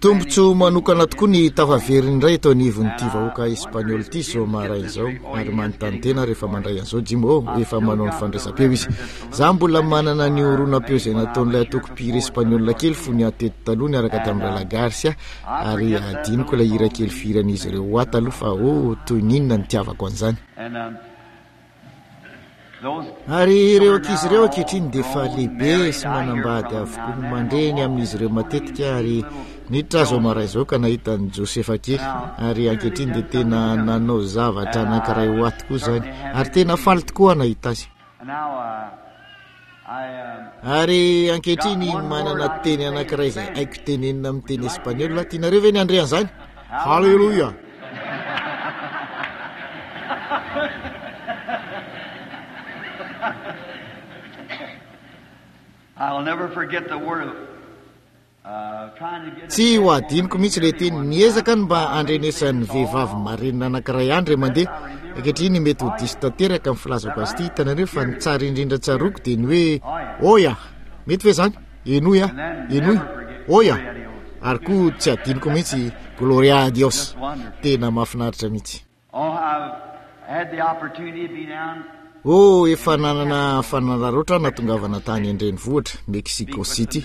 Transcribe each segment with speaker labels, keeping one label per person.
Speaker 1: Tombontsoa manokana tokoa ny tafaverina indray eto anivon'ity vahoaka espaniola ity izao maraina izao ary manontany tena rehefa mandray an'izao Jim oh efa manao ny fandraisam-peo izy. Za mbola manana ny horonam-peo izay nataon'ilay antoko mpihira espaniola kely fony aho teto taloha niaraka tamin'ny Rahalahy Garcia ary adinoko ilay hira kely fihiran'izy ireo ho ahy taloha fa oh toy ny inona nitiavako an'izany. Ary ireo ankizy ireo ankehitriny dia efa lehibe sy manambady avokoa. Mandre ny amin'izy ireo matetika ary niditra aho izao maraina izao ka nahita an'i Josefa kely. Ary ankehitriny dia tena nanao zavatra anankiray ho ahy tokoa izany. Ary tena faly tokoa aho nahita azy. Ary ankehitriny manana teny anankiray izay haiko tenenina amin'ny teny espaniola. Tianareo ve ny handre an'izany? Haleloia!
Speaker 2: I'll never forget the word of
Speaker 1: Tsy ho adinoko mihitsy ilay teny. Niezaka ny mba handrenesan'ny vehivavy marenina anankiray andry mandeha. Ankehitriny mety ho diso tanteraka ny filazako azy ity, hitanareo, fa ny tsara indrindra tsaroako dia ny hoe Oya! Mety ve izany? Henoy aho. Henoy. Oya! Ary koa tsy adinoko mihitsy Gloria a Dios. Tena mahafinaritra mihitsy. Oh, efa nanana fanararaotra aho nahatongavana tany an-drenivohitra, Mexico City,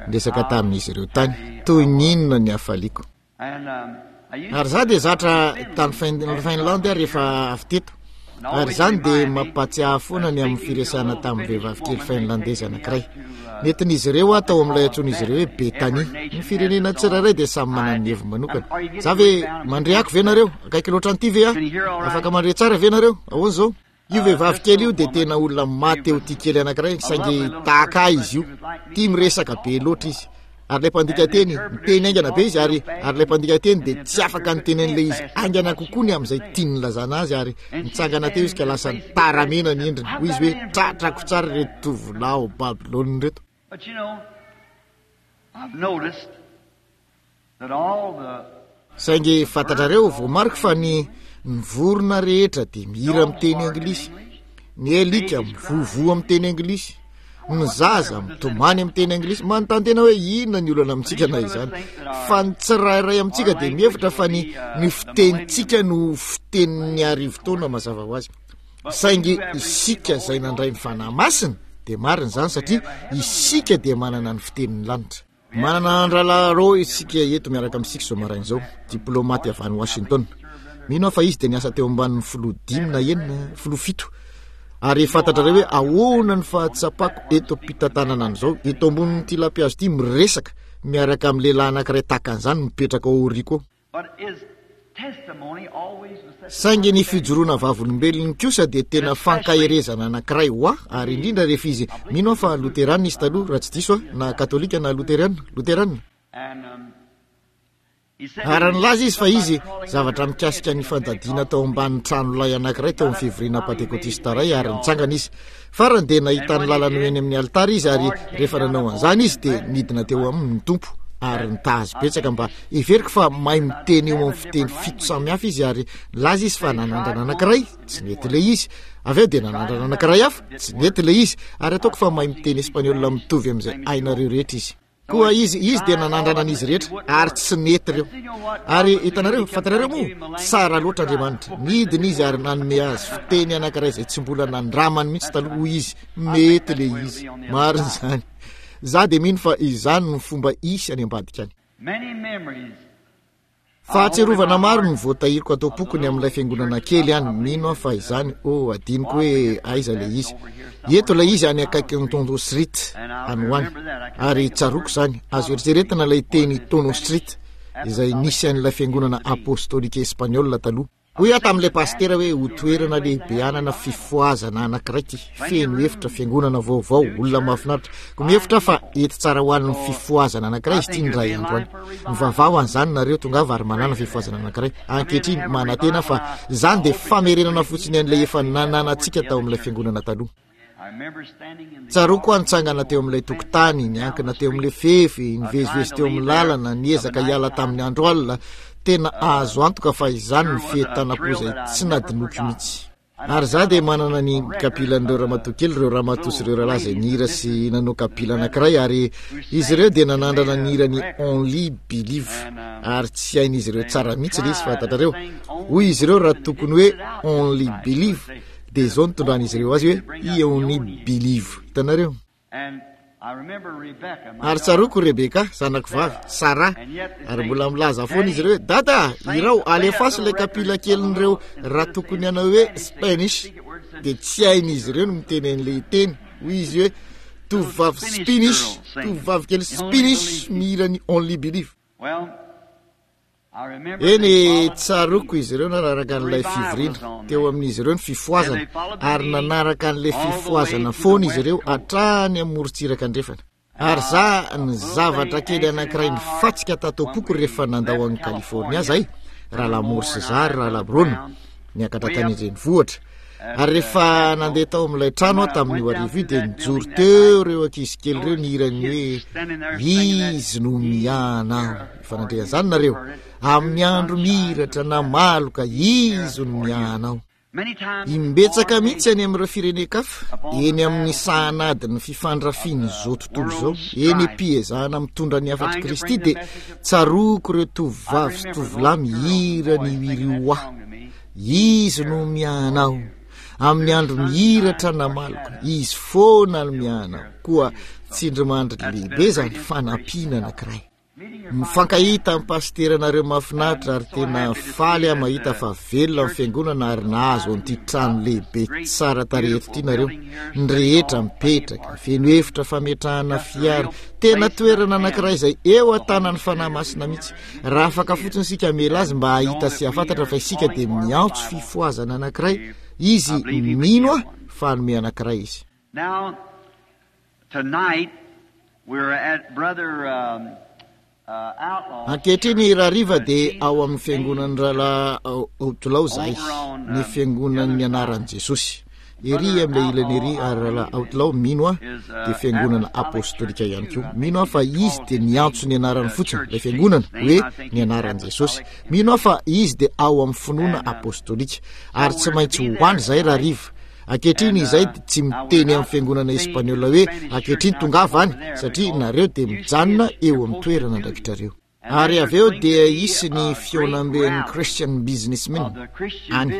Speaker 1: niresaka tamin'izy ireo tany. Toy ny inona ny hafaliako. Ary izaho dia zatra tany Finlande aho rehefa avy teto. Ary izany dia mampahatsiahy foana ny amin'ny firesahana tamin'ny vehivavy kely finlandezy anankiray. Nentin'izy ireo aho tao amin'ilay antsoin'izy ireo hoe Betania. Ny firenena tsirairay dia samy manana ny heviny manokana. Za ve mandre ako ve nareo? Akaiky loatra an'ity ve aho? Afaka mandre tsara ve nareo? Ahoana izao? Io vehivavy kely io dia tena olona maty eo tia kely anankiray, saingy tahaka ahy izy io. Tia miresaka be loatra izy. Ary ilay mpandika teny, niteny haingana be izy, ary, ary ilay mpandika teny dia tsy afaka niteny an'ilay izy haingana kokoa ny amin'izay tiany nilazana azy, ary nitsangana teo izy ka lasa nitaramena ny endriny. Hoy izy hoe, Tratrako tsara ireto tovolahy ao Babylona ireto.
Speaker 2: But you know, I've noticed that all the
Speaker 1: Saingy fantatrareo, voamariko fa ny, ny vorona rehetra dia mihira amin'ny teny anglisy. Ny alika mivovoa amin'ny teny anglisy. Ny zaza mitomany amin'ny teny anglisy. Manontany tena hoe inona ny olana amintsika na izany. Fa ny tsirairay amintsika dia mihevitra fa ny, ny fitenintsika no fitenin'ny arivotaona mazava ho azy. Saingy isika izay nandray ny Fanahy Masina dia marina izany satria isika dia manana ny fitenin'ny lanitra. Manana an-drahalahy Roy isika eto miaraka amintsika izao maraina izao, diplaomaty avy any Washington. Mino aho fa izy dia niasa teo ambanin'ny filoha dimy na enina, filoha fito. Ary fantatrareo hoe ahoana ny fahatsapako eto am-pitantanana an'izao, eto ambonin'ity lampihazo ity, miresaka miaraka amin'ny lehilahy anankiray tahaka an'izany mipetraka ao aoriako ao. Saingy ny fijoroana vavolombelony kosa dia tena fankaherezana anankiray ho ahy, ary indrindra rehefa izy, mino aho fa loterana izy taloha, raha tsy diso aho, na katolika na loterana, loterana. Ary nilaza izy fa izy, zavatra mikasika ny fandadiana tao ambanin'ny trano lay anankiray tao amin'ny fivoriana pantekotista iray, ary nitsangana izy. Farany dia nahita ny lalany ho eny amin'ny alitara izy ary rehefa nanao an'izany izy dia nidina teo aminy ny Tompo ary nitaha azy betsaka mba heveriko fa mahay miteny eo amin'ny fiteny fito samihafa izy ary nilaza izy fa nanandrana anankiray tsy nety ilay izy avy eo dia nanandrana anankiray hafa tsy nety ilay izy ary ataoko fa mahay miteny espaniola mitovy amin'izay hainareo rehetra izy. Koa izy, izy dia nanandrana an'izy rehetra, ary tsy nety ireo. Ary hitanareo, fantarareo moa, tsara loatra Andriamanitra. Nidina izy ary nanome azy fiteny anankiray izay tsy mbola nandramany mihitsy taloha. Hoy izy, mety ilay izy. Marina izany. Za dia mino fa izany no fomba hisy any ambadika any. Fahatsiarovana maro no voatahiriko ato am-poko ny amin'ilay fiangonana kely any. Mino aho fa izany, oh, adinoko hoe aiza ilay izy. Eto ilay izy any akaikin'ny Tondo Street, any ho any. Ary tsaroako izany, azo eritreretina ilay teny Tono Street, izay nisy an'ilay fiangonana apostolika espaniola taloha. Hoy aho tamin'ilay pasitera hoe ho toerana lehibe hanana fifohazana anankiray ity, feno efitra, fiangonana vaovao, olona mahafinaritra. Koa mihevitra aho fa hety tsara ho an'ny fifohazana anankiray izy ity indray andro any. Mivavaha ho an'izany nareo, tongava ary manàna fifohazana anankiray. Ankehitriny, manantena aho fa izany dia famerenana fotsiny an'ilay efa nananantsika tao amin'ilay fiangonana taloha. Tsaroako aho nitsangana teo amin'ilay tokotany, niankina teo amin'ilay fefy, nivezivezy teo amin'ny lalana, niezaka hiala tamin'ny andro alina. Tena azo antoka fa izany no fientanam-po izay tsy nadinoiko mihitsy. Ary za dia manana ny kapilan'ireo ramatoa kely, ireo ramatoa sy ireo rahalahy izay nihira sy nanao kapila anankiray, ary izy ireo dia nanandrana nihira ny Only Believe, ary tsy hain'izy ireo tsara mihitsy ilay izy, fantatrareo. Hoy izy ireo raha tokony hoe Only Believe, dia izao no nitondran'izy ireo azy hoe I Only Believe. Hitanareo? Ary tsaroako Rebeka, zanako vavy, Sara, ary mbola milaza foana izy ireo hoe, Dada, irao, alefaso ilay kapila kelin'ireo raha tokony hanao hoe Spanish. Dia tsy hain'izy ireo ny miteny an'ilay teny. Hoy izy hoe, Tovovavy Spanish, tovovavy kely Spanish mihira ny Only Believe. Eny, tsaroako izy ireo nanaraka an'ilay fivoriana. Teo amin'izy ireo ny fifohazana, ary nanaraka an'ilay fifohazana foana izy ireo hatrany amin'ny morontsiraka andrefana. Ary za, ny zavatra kely anankiray nifatsika tato am-poko rehefa nandao an'i California zahay, Rahalahy Moore sy za ary Rahalahy Brown, niakatra tany an-drenivohitra. Ary rehefa nandeha tao amin'ilay trano aho tamin'io hariva io dia nijoro teo ireo ankizy kely ireo nihira ny hoe Izy no miahana aho. Efa nandre an'izany nareo? Amin'ny andro mihiratra na maloka, Izy no miahana aho. Imbetsaka mihitsy any amin'ireo firenen-kafa, eny amin'ny sahan'adin'ny fifandrafian'izao tontolo izao, eny am-piezahana mitondra ny hafatr'i Kristy dia tsaroako ireo tovovavy sy tovolahy mihira ny Wiriwa. Izy no miahanao. Amin'ny andro mihiratra na maloka, Izy foana no miahanao. Koa tsindrimandry lehibe izany fanampiana anankiray. Mifankahita amin'ny pasiteranareo mahafinaritra ary tena faly aho mahita fa velona ny fiangonana ary nahazo an'ity trano lehibe tsara tarehy eto ity nareo. Ny rehetra mipetraka, feno efitra fametrahana fiara, tena toerana anankiray izay eo an-tanan'ny Fanahy Masina mihitsy. Raha afaka fotsiny isika hamela azy mba hahita sy hahafantatra fa isika dia miantso fifohazana anankiray, izy mino aho fa hanome anankiray izy.
Speaker 2: Now, tonight, we're at Brother um,
Speaker 1: Ankehitriny rahariva dia ao amin'ny fiangonan'ny rahalahy Outlaw zahay, ny fiangonan'ny anaran'i Jesosy. Ery amin'ilay ilany ery ary rahalahy Outlaw, mino aho, dia fiangonana apostolika ihany koa. Mino aho fa izy dia niantso ny anarany fotsiny, ilay fiangonana, hoe ny anaran'i Jesosy. Mino aho fa izy dia ao amin'ny finoana apostolika. Ary tsy maintsy ho any izahay rahariva. Ankehitriny izay dia tsy miteny amin'ny fiangonana espaniola hoe ankehitriny tongava any, satria nareo dia mijanona eo amin'ny toerana andraikitrareo. Ary avy eo dia hisy ny fihaonamben'ny Christian Businessmen any,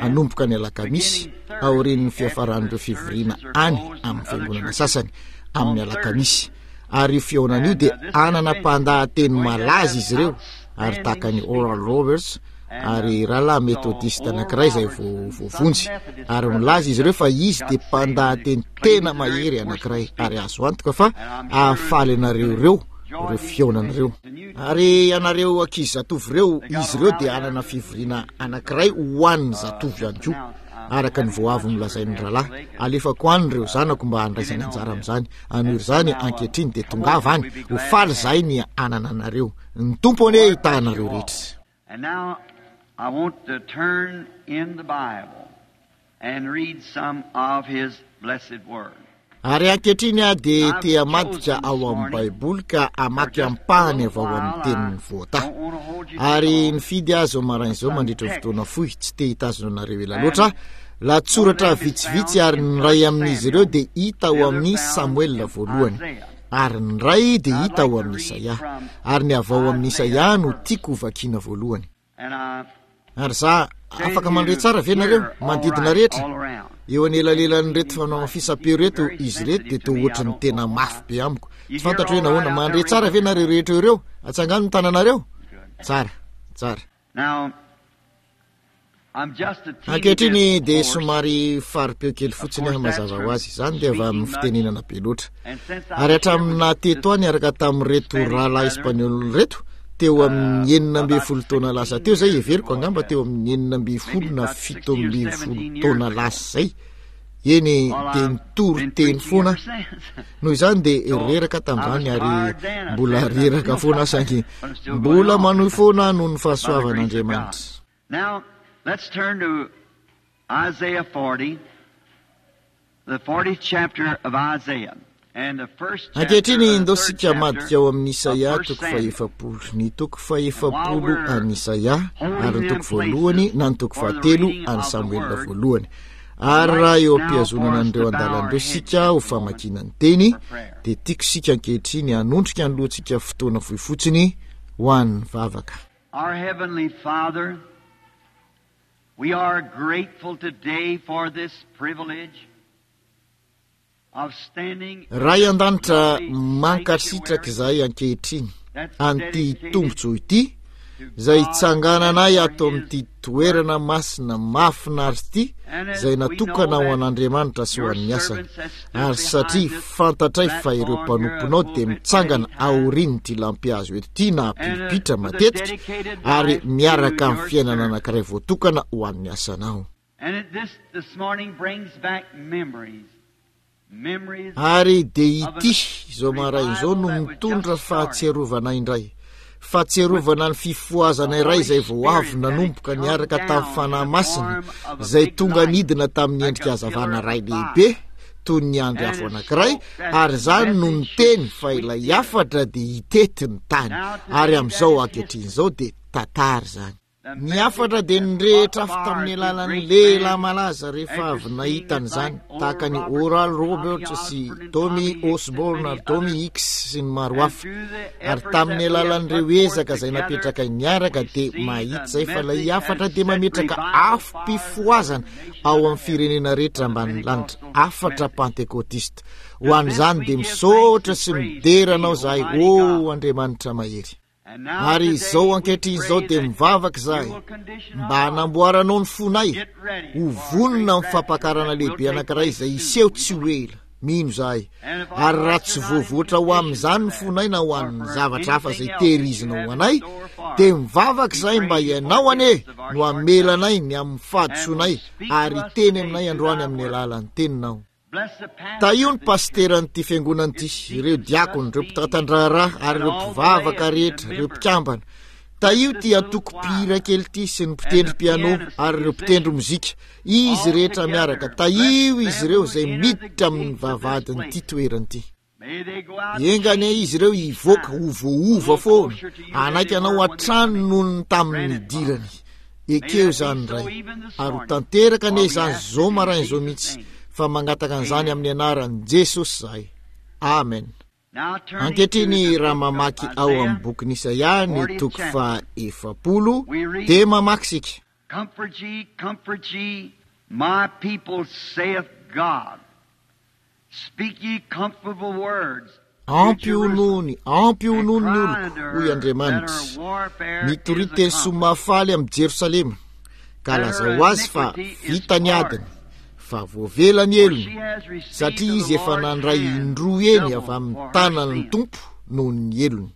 Speaker 1: hanomboka ny alakamisy, aorian'ny fiafaran'ireo fivoriana any amin'ny fiangonana sasany, amin'ny alakamisy. Ary io fihaonana io dia hanana mpandahateny malaza izy ireo, ary tahaka an'i Oral Roberts, ary rahalahy metodista anankiray izay voavonjy. Ary milaza izy ireo fa izy dia mpandahateny tena mahery anankiray, ary azo antoka fa hahafaly anareo ireo ireo fihaonana ireo. Ary ianareo ankizy zatovo ireo, izy ireo dia hanana fivoriana anankiray ho an'ny zatovo ihany koa, araka ny vao avy nolazain'ny rahalahy. Alefako any ireo zanako mba handraisany anjara amin'izany. Anohy izany ankehitriny, dia tongava any. Ho faly izahay ny hanana anareo. Ny Tompo anie hitahy anareo rehetra.
Speaker 2: And now I want to turn in the Bible and read some of His blessed Word.
Speaker 1: Ary ankehitriny aho dia te hamadika ao amin'ny Baiboly ka hamaky ampahany avy ao amin'ny teniny voatahy. Ary nifidy aho izao maraina izao mandritra ny fotoana fohy, tsy te hitazona anareo ela loatra aho, lahatsoratra vitsivitsy ary ny iray amin'izy ireo dia hita ao amin'ny Samoela voalohany. Ary ny iray dia hita ao amin'ny Isaia. Ary ny avy ao amin'ny Isaia no tiako hovakiana voalohany. Ary za, afaka mandre tsara ve nareo? Manodidina rehetra? Eo anelanelan'ireto fanamafisam-peo ireto, izy ireto dia toa ohatry ny tena mafy be amiko. Tsy fantatro hoe nahoana. Mandre tsara ve nareo rehetra eo ireo? Atsangano ny tananareo. Tsara, tsara. Ankehitriny dia somary fari-peo kely fotsiny aho mazava ho azy. Izany dia avy amin'ny fitenenana be loatra. Ary hatramin'ny naha teto ahy niaraka tamin'ireto rahalahy espaniola ireto, teo amin'ny 16 taona lasa teo izay, heveriko angamba teo amin'ny 16 na 17 taona lasa izay, eny dia nitory teny foana aho. Noho izany dia reraka tamin'izany ary mbola reraka foana aho saingy mbola manohy foana aho noho ny fahasoavan'Andriamanitra.
Speaker 2: Now, let's turn to Isaiah 40, the 40th chapter of Isaiah.
Speaker 1: Ankehitriny ndao isika hamadika ao amin'ny Isaia toko fahefapolo, ny toko fahefapolo an'i Isaia ary ny toko voalohany na ny toko fahatelo an'i Samoela voalohany. Ary raha eo am-pihazonana an'ireo andalana ireo isika ho famakiana ny teny, dia tiako isika ankehitriny hanondrika ny lohantsika fotoana fohy fotsiny ho an'ny vavaka.
Speaker 2: Our Heavenly Father, we are grateful today for this privilege.
Speaker 1: Ray an-danitra, mankasitraka izahay ankehitriny an'ity tombontsoa ity izay itsangananay ato amin'ity toerana masina mahafinaritra ity izay natokana ho an'Andriamanitra sy ho an'ny asany. Ary satria fantatray fa ireo mpanomponao dia mitsangana aorian'ity lampihazo eto ity na pilipitra matetika ary miaraka amin'ny fiainana anankiray voatokana ho an'ny asanao. Ary dia ity izao maraina izao no mitondra fahatsiarovana indray, fahatsiarovana ny fifohazana iray izay vao avy nanomboka niaraka tamin'ny Fanahy Masina, izay tonga nidina tamin'ny endrika hazavana iray lehibe, toy ny andry afo anankiray, ary izany no niteny fa ilay hafatra dia hitety ny tany. Ary amin'izao ankehitriny izao dia tantara izany. Ny hafatra dia nirehitra afo tamin'ny alalan'ny lehilahy malaza rehefa avy nahita an'izany, tahaka an'i Oral Roberts sy Tommy Osborn ary Tommy Hicks sy ny maro hafa. Ary tamin'ny alalan'ireo ezaka izay napetrakay niaraka dia mahita izay fa ilay hafatra dia mametraka afom-pifohazana ao amin'ny firenena rehetra ambanin'ny lanitra, hafatra pantekotista. Ho an'izany dia misaotra sy midera anao izahay, ô Andriamanitra mahery. Ary izao ankehitriny izao dia mivavaka izahay mba hanamboaranao ny fonay ho vonona amin'ny fampakarana lehibe anankiray izay hiseho tsy ho ela. Mino izahay. Ary raha tsy voavoatra ho amin'izany ny fonay na ho an'ny zavatra hafa izay tehirizinao ho anay, dia mivavaka izahay mba Ianao anie no hamela anay ny amin'ny fahadisoanay ary hiteny aminay androany amin'ny alalan'ny Teninao. Tahio ny pasiteran'ity fiangonana ity, ireo diakona, ireo mpitantan-draharaha ary ireo mpivavaka rehetra, ireo mpikambana. Tahio ity antoko mpihira kely ity sy ny mpitendry piano ary ireo mpitendry mozika, izy rehetra miaraka. Tahio izy ireo izay miditra amin'ny vavahadin'ity toerana ity. Enga anie izy ireo hivoaka ho voaova foana, hanaiky anao hatrany noho ny tamin'ny nidirany. Ekeo izany, Ray, ary ho tanteraka anie izany izao maraina izao mihitsy, fa mangataka an'izany amin'ny anaran'i Jesosy izahay. Amen. Ankehitriny raha mamaky ao amin'ny bokin'Isaia ny toko faha-40, dia mamaky isika.
Speaker 2: Comfort ye, comfort ye, my people, saith God. Speak ye comfortable words to
Speaker 1: Ampionony,
Speaker 2: Jerusalem,
Speaker 1: ampionony
Speaker 2: and
Speaker 1: ny
Speaker 2: cry
Speaker 1: oloko,
Speaker 2: unto
Speaker 1: hoy
Speaker 2: her that
Speaker 1: Andriamanitra.
Speaker 2: her warfare
Speaker 1: Mitoria
Speaker 2: is
Speaker 1: teny soa
Speaker 2: accomplished,
Speaker 1: mahafaly amin'i Jerosalema, ka
Speaker 2: that her
Speaker 1: lazao ho azy fa
Speaker 2: iniquity is
Speaker 1: vita ny adiny,
Speaker 2: pardoned,
Speaker 1: fa voavela ny
Speaker 2: for
Speaker 1: helony,
Speaker 2: she has received
Speaker 1: satria
Speaker 2: of the
Speaker 1: izy efa
Speaker 2: Lord's
Speaker 1: nandray
Speaker 2: hand
Speaker 1: indroa heny
Speaker 2: double
Speaker 1: avy amin'ny
Speaker 2: for her
Speaker 1: tanan'ny
Speaker 2: sin.
Speaker 1: Tompo noho ny helony.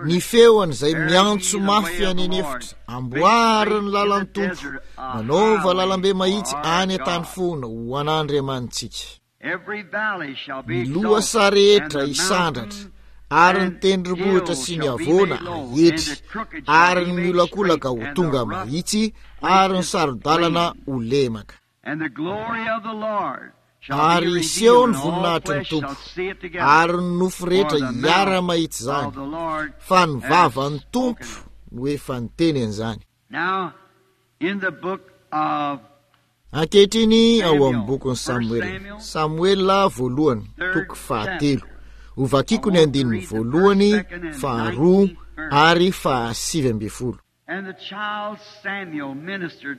Speaker 1: Ny feon'izay miantso mafy any an'efitra, Amboary ny lalan'ny Tompo, manaova lalambe mahitsy any an-tany foana ho an'Andriamanitsika. Ny lohasaha rehetra hisandratra, ary ny tendrombohitra sy ny havoana haetry, ary ny miolakolaka ho tonga mahitsy, ary ny saro-dalana ho lemaka. Ary hiseho ny voninahitry ny Tompo, ary ny nofo rehetra hiara-mahita izany, fa ny vavan'ny Tompo no efa niteny an'izany. Ankehitriny ao amin'ny bokin'i Samoela, Samoela voalohany, toko fahatelo, hovakiko ny andininy voalohany, faharoa ary fahasivy ambin'ny folo.
Speaker 2: And the child Samuel ministered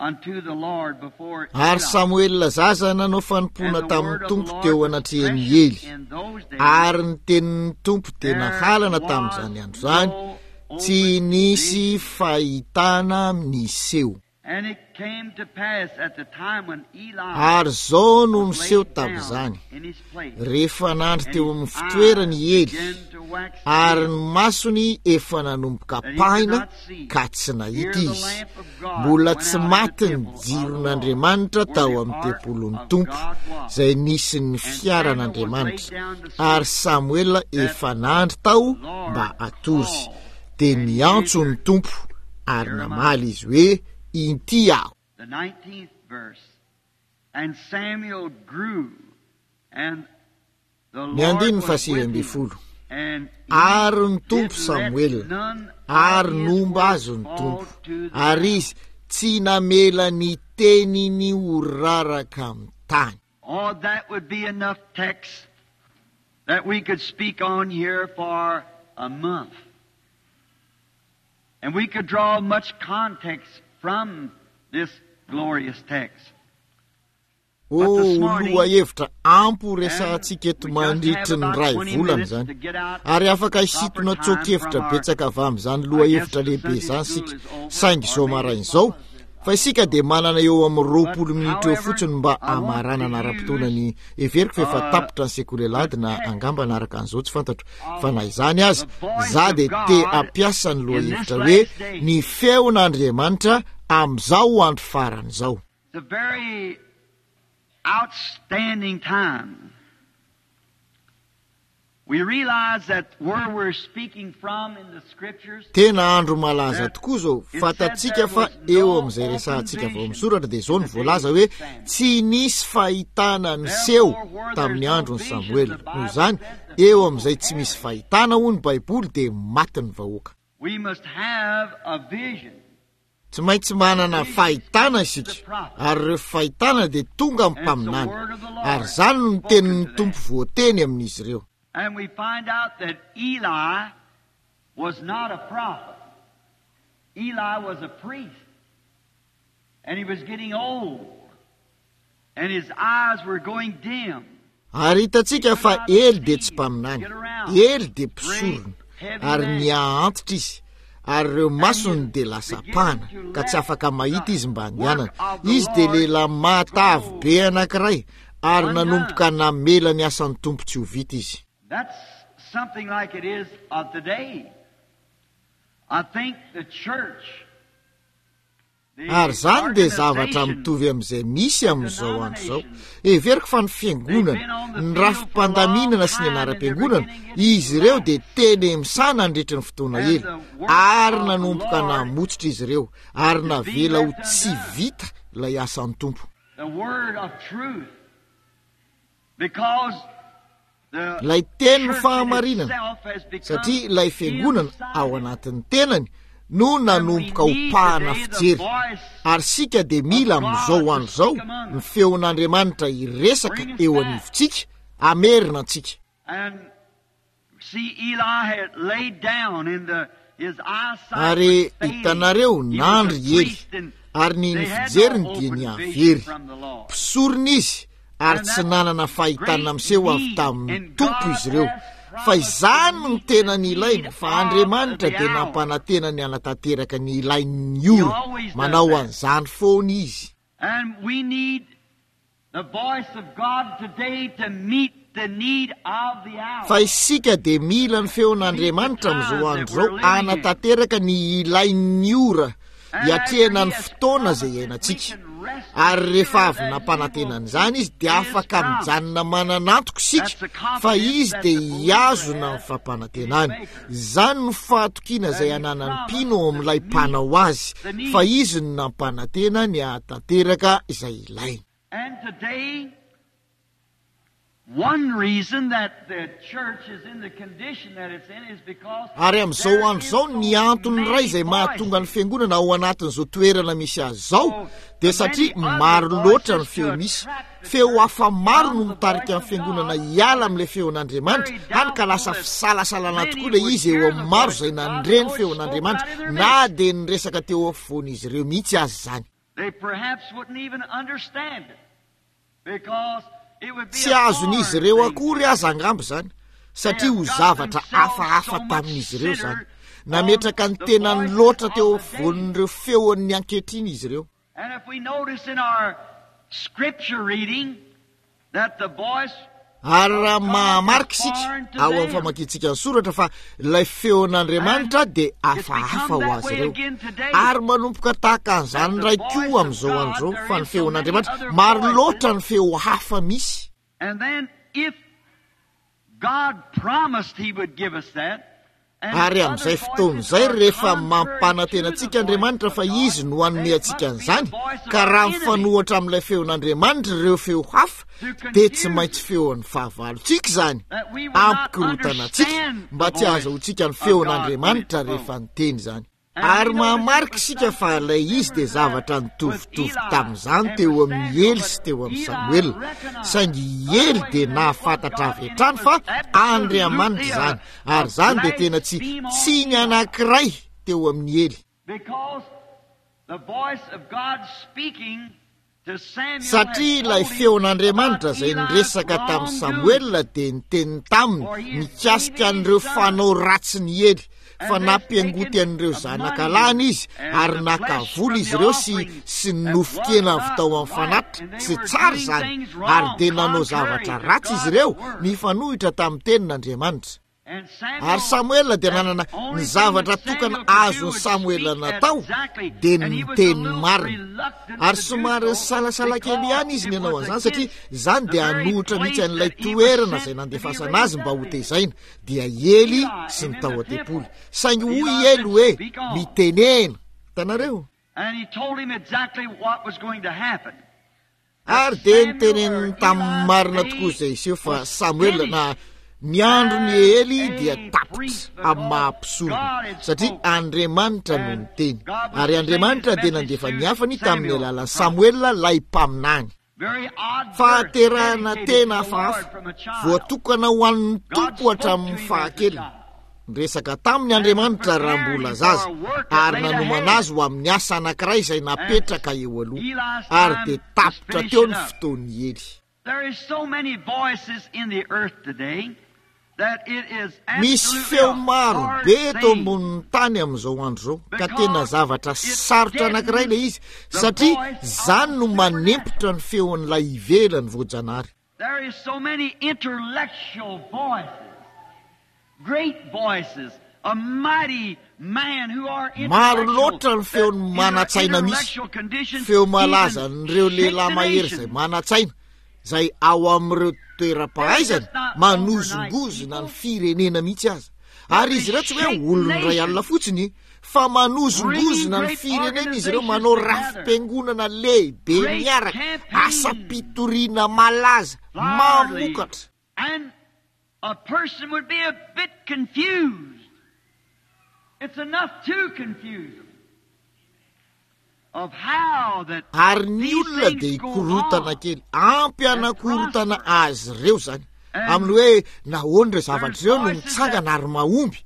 Speaker 2: unto the Lord before
Speaker 1: Ary
Speaker 2: Eli.
Speaker 1: Samoela zaza nanao
Speaker 2: And
Speaker 1: fanompoana
Speaker 2: the
Speaker 1: tamin'ny
Speaker 2: word of the
Speaker 1: Tompo
Speaker 2: Lord
Speaker 1: teo
Speaker 2: was
Speaker 1: anatrehan'i
Speaker 2: precious
Speaker 1: Ely.
Speaker 2: in those days.
Speaker 1: Ary ny tenin'ny Tompo dia
Speaker 2: There
Speaker 1: nahalana
Speaker 2: was
Speaker 1: tamin'izany andro izany,
Speaker 2: no
Speaker 1: tsy
Speaker 2: open
Speaker 1: nisy
Speaker 2: vision.
Speaker 1: fahitana niseho.
Speaker 2: And it came to pass at the time when Eli
Speaker 1: Ary izao no
Speaker 2: was
Speaker 1: niseho
Speaker 2: laid down
Speaker 1: tamin'izany,
Speaker 2: in his place,
Speaker 1: rehefa nandry
Speaker 2: and
Speaker 1: teo
Speaker 2: his
Speaker 1: amin'ny fitoerany
Speaker 2: eyes
Speaker 1: i Ely,
Speaker 2: began to wax
Speaker 1: ary
Speaker 2: dim,
Speaker 1: ny masony efa nanomboka
Speaker 2: that he could
Speaker 1: pahina
Speaker 2: not see,
Speaker 1: ka tsy
Speaker 2: here
Speaker 1: nahita
Speaker 2: the
Speaker 1: izy.
Speaker 2: lamp of God
Speaker 1: Mbola
Speaker 2: went
Speaker 1: tsy
Speaker 2: out in the
Speaker 1: maty ny
Speaker 2: temple of the Lord,
Speaker 1: jiron'Andriamanitra
Speaker 2: where
Speaker 1: tao
Speaker 2: the
Speaker 1: amin'ny
Speaker 2: ark
Speaker 1: tempolin'ny
Speaker 2: of
Speaker 1: Tompo,
Speaker 2: God was.
Speaker 1: izay nisy ny
Speaker 2: And Samuel was laid
Speaker 1: fiaran'Andriamanitra.
Speaker 2: down to
Speaker 1: Ary
Speaker 2: sleep,
Speaker 1: Samoela
Speaker 2: that
Speaker 1: efa nandry tao
Speaker 2: the Lord
Speaker 1: mba hatory.
Speaker 2: called,
Speaker 1: Dia
Speaker 2: and he
Speaker 1: niantso ny
Speaker 2: answered.
Speaker 1: Tompo, ary
Speaker 2: Jeremiah.
Speaker 1: namaly izy hoe, Inty aho.
Speaker 2: The 19th verse. And Samuel grew.
Speaker 1: Ny andininy faha-19, Ary ny Tompo Samoela, ary nomba azy ny Tompo, ary izy tsy namela ny teniny ho raraka amin'ny tany.
Speaker 2: Oh, that would be enough text that we could speak on here for a month. And we could draw much context from this glorious text.
Speaker 1: Oh, ho lohahevitra ampy ho resahantsika eto mandritry ny iray volana izany. Ary afaka hisintona tsoa-kevitra betsaka avy amin'izany lohahevitra lehibe izany isika. Saingy izao maraina izao, fa isika dia manana eo amin'ny 20 minitra eo fotsiny mba hamaranana ara-potoana ny heveriko fa efa tapitra ny sekoly alahady na angamba hanaraka an'izao tsy fantatro. Fa na izany aza, za dia te hampiasa ny lohahevitra hoe ny feon'Andriamanitra amin'izao andro farany izao.
Speaker 2: It's a very outstanding time. We realize that where we're speaking from in the scriptures.
Speaker 1: Tena andro malaza tokoa izao. Fantatsika fa eo amin'izay resahantsika vao misoratra dia izao no voalaza hoe tsy nisy fahitana niseho tamin'ny andron'i Samoela. Noho izany, eo amin'izay tsy misy fahitana hoy ny Baiboly dia maty ny vahoaka.
Speaker 2: We must have a vision.
Speaker 1: Tsy maintsy manana fahitana isika, ary ireo fahitana dia tonga amin'ny mpaminany, ary izany no tenin'ny Tompo voateny amin'izy ireo.
Speaker 2: And we find out that Eli was not a prophet. Eli was a priest. And he was getting old. And his eyes were going dim.
Speaker 1: Ary hitantsika fa Ely dia tsy mpaminany. Ely dia mpisorona, ary niha-antitra izy, ary ireo masony dia lasa pana, ka tsy afaka mahita izy mba handehanana. Izy dia lehilahy mahatavy be anankiray, ary nanomboka namela ny asan'ny Tompo tsy ho vita izy.
Speaker 2: That's something like it is of today. I think the church
Speaker 1: Ary izany dia zavatra mitovy amin'izay misy amin'izao andro izao. Heveriko fa ny fiangonana, ny rafi-pandaminana sy ny anaram-piangonana, izy ireo dia teny misana nandritry ny fotoana ela, ary nanomboka namotsitra izy ireo, ary navela ho tsy vita ilay asan'ny Tompo. Ilay tenin'ny fahamarinana, satria ilay fiangonana ao anatin'ny tenany no nanomboka ho pahana fijery, ary isika dia mila amin'izao andro izao ny feon'Andriamanitra hiresaka eo anivontsika, hamerina antsika. Ary hitanareo, nandry i Ely, ary ny ny fijeriny dia nihavery. Mpisorona izy, ary tsy nanana fahitana miseho avy tamin'ny Tompo izy ireo. Fa izany no tena nilainy, fa Andriamanitra dia nampanantena ny hanatanteraka ny ilain'ny ora. Manao an'izany foana Izy.
Speaker 2: And we need The voice of God today to meet the need of the hour.
Speaker 1: Fa isika dia mila ny feon'Andriamanitra amin'izao andro izao hanatanteraka ny ilain'ny ora hiatrehana ny fotoana izay iainantsika. Ary rehefa avy nampanantena an'izany izy dia afaka mijanona manana antoka isika fa izy dia hihazona ny fampanantenany. Izany no fahatokiana izay ananan'ny mpino ao amin'ilay mpanao azy fa izy no nampanantena ny hahatanteraka izay ilainy.
Speaker 2: And today, one reason that the church is in the condition that it's in is because
Speaker 1: Ary amin'izao
Speaker 2: there
Speaker 1: andro
Speaker 2: is
Speaker 1: izao,
Speaker 2: so
Speaker 1: ny antony iray
Speaker 2: many
Speaker 1: izay mahatonga ny
Speaker 2: voices.
Speaker 1: fiangonana ao anatin'izao toerana misy azy izao dia satria maro loatra ny feo misy. Feo hafa maro no mitarika ny fiangonana hiala amin'ilay feon'Andriamanitra, hany ka lasa fisalasalana tokoa ilay izy eo amin'ny maro izay nandre ny feon'Andriamanitra, na dia niresaka teo afovoan'izy ireo mihitsy aza izany.
Speaker 2: They perhaps wouldn't even understand it because it would be
Speaker 1: Tsy
Speaker 2: a
Speaker 1: azon'izy
Speaker 2: foreign
Speaker 1: ireo
Speaker 2: thing to
Speaker 1: akory
Speaker 2: them.
Speaker 1: aza angamba izany, satria
Speaker 2: They
Speaker 1: ho
Speaker 2: have got
Speaker 1: zavatra
Speaker 2: themselves
Speaker 1: hafahafa
Speaker 2: so much
Speaker 1: tamin'izy ireo izany.
Speaker 2: centered on
Speaker 1: Nametraka ny
Speaker 2: the
Speaker 1: tenany
Speaker 2: voices
Speaker 1: loatra
Speaker 2: of
Speaker 1: teo
Speaker 2: the day.
Speaker 1: afovoan'ireo feon'ny ankehitriny izy ireo.
Speaker 2: And if we notice in our scripture reading that the voice
Speaker 1: Ary raha mahamarika isika ao amin'ny famakiantsika ny soratra fa ilay feon'Andriamanitra dia hafahafa ho azy ireo. Ary manomboka tahaka an'izany indray koa amin'izao andro izao fa ny feon'Andriamanitra, maro loatra ny feo hafa misy.
Speaker 2: And then if God promised he would give us that,
Speaker 1: Ary amin'izay fotoana izay, rehefa mampanantena antsika Andriamanitra fa Izy no hanome antsika an'izany, ka raha mifanohitra amin'ilay feon'Andriamanitra ireo feo hafa, dia tsy maintsy feon'ny fahavalontsika izany, hampikorontana antsika, mba tsy hahazahoantsika ny feon'Andriamanitra rehefa niteny izany. Ary mahamarika isika fa ilay izy dia zavatra nitovitovy tamin'izany teo amin'i Ely sy teo amin'i Samoela. Saingy i Ely dia nahafantatra avy hatrany fa Andriamanitra izany. Ary izany dia tena tsy tsiny anankiray teo amin'i Ely. Satria ilay feon'Andriamanitra izay niresaka tamin'i Samoela dia niteny taminy mikasika an'ireo fanao ratsin'i Ely, fa nampiangoty an'ireo zanaka lahiny izy ary naka vola izy ireo sy sy ny nofon-kena avy tao amin'ny fanatitra. Tsy tsara izany, ary dia nanao zavatra ratsy izy ireo, nifanohitra tamin'ny tenin'Andriamanitra. Ary Samoela dia nanana ny zavatra tokana azon'i Samoela natao dia ny niteny ny marina. Ary somary nisalasala kely ihany izy ny hanao an'izany satria izany dia hanohitra mihitsy an'ilay toerana izay nandefasana azy mba hotezaina, dia i Ely sy ny tao an-tempoly. Saingy hoy i Ely hoe, Mitenena. Hitanareo? Ary dia niteneniny tamin'ny marina tokoa izay hiseho fa Samoela na ny andron'i Ely dia tapitra amin'ny maha mpisorona satria Andriamanitra no niteny ary Andriamanitra dia nandefa ny hafany tamin'ny alalan'i Samoela ilay mpaminany. Fahaterahana tena hafahafa, voatokana ho an'ny Tompo hatramin'ny fahakeliny. Niresaka taminy Andriamanitra raha mbola zaza ary nanomana azy ho amin'ny asa anankiray izay napetraka eo aloha, ary dia tapitra teo ny fotoan'i Ely. Misy feo maro be eto ambonin'ny tany amin'izao andro izao, ka tena zavatra sarotra anankiray ilay izy, satria izany no manempotra ny feon'ilay ivelany voajanahary.
Speaker 2: There is so many intellectual voices, great voices, a mighty man who are
Speaker 1: Maro
Speaker 2: intellectual
Speaker 1: loatra ny
Speaker 2: that
Speaker 1: feon'ny
Speaker 2: in their
Speaker 1: manan-tsaina misy,
Speaker 2: intellectual condition
Speaker 1: feo
Speaker 2: even
Speaker 1: malazan'ireo
Speaker 2: shake
Speaker 1: lehilahy
Speaker 2: the
Speaker 1: mahery izay
Speaker 2: nation.
Speaker 1: manan-tsaina, izay ao amin'ireo
Speaker 2: They're
Speaker 1: toeram-pahaizana
Speaker 2: just not overnight
Speaker 1: manozongozona ny
Speaker 2: people.
Speaker 1: firenena mihitsy aza. Ary
Speaker 2: But they
Speaker 1: izy ireo tsy hoe
Speaker 2: shake
Speaker 1: olon'ny iray alina
Speaker 2: nations,
Speaker 1: fotsiny, fa
Speaker 2: bringing
Speaker 1: manozongozona ny
Speaker 2: great
Speaker 1: firenena izy ireo,
Speaker 2: organizations
Speaker 1: manao
Speaker 2: together,
Speaker 1: rafi-piangonana lehibe
Speaker 2: great
Speaker 1: miaraka,
Speaker 2: campaigns,
Speaker 1: asam-pitoriana malaza,
Speaker 2: lively,
Speaker 1: mamokatra.
Speaker 2: and a person would be a bit confused. It's enough to confuse them of how that
Speaker 1: Ary ny
Speaker 2: these
Speaker 1: olona
Speaker 2: things
Speaker 1: dia
Speaker 2: go
Speaker 1: hikorotana
Speaker 2: on
Speaker 1: kely, ampy
Speaker 2: and
Speaker 1: hanakorotana
Speaker 2: prosper.
Speaker 1: azy ireo izany,
Speaker 2: And
Speaker 1: amin'ny hoe nahoana ireo zavatra
Speaker 2: there's
Speaker 1: ireo no
Speaker 2: voices that
Speaker 1: mitsangana ary mahomby.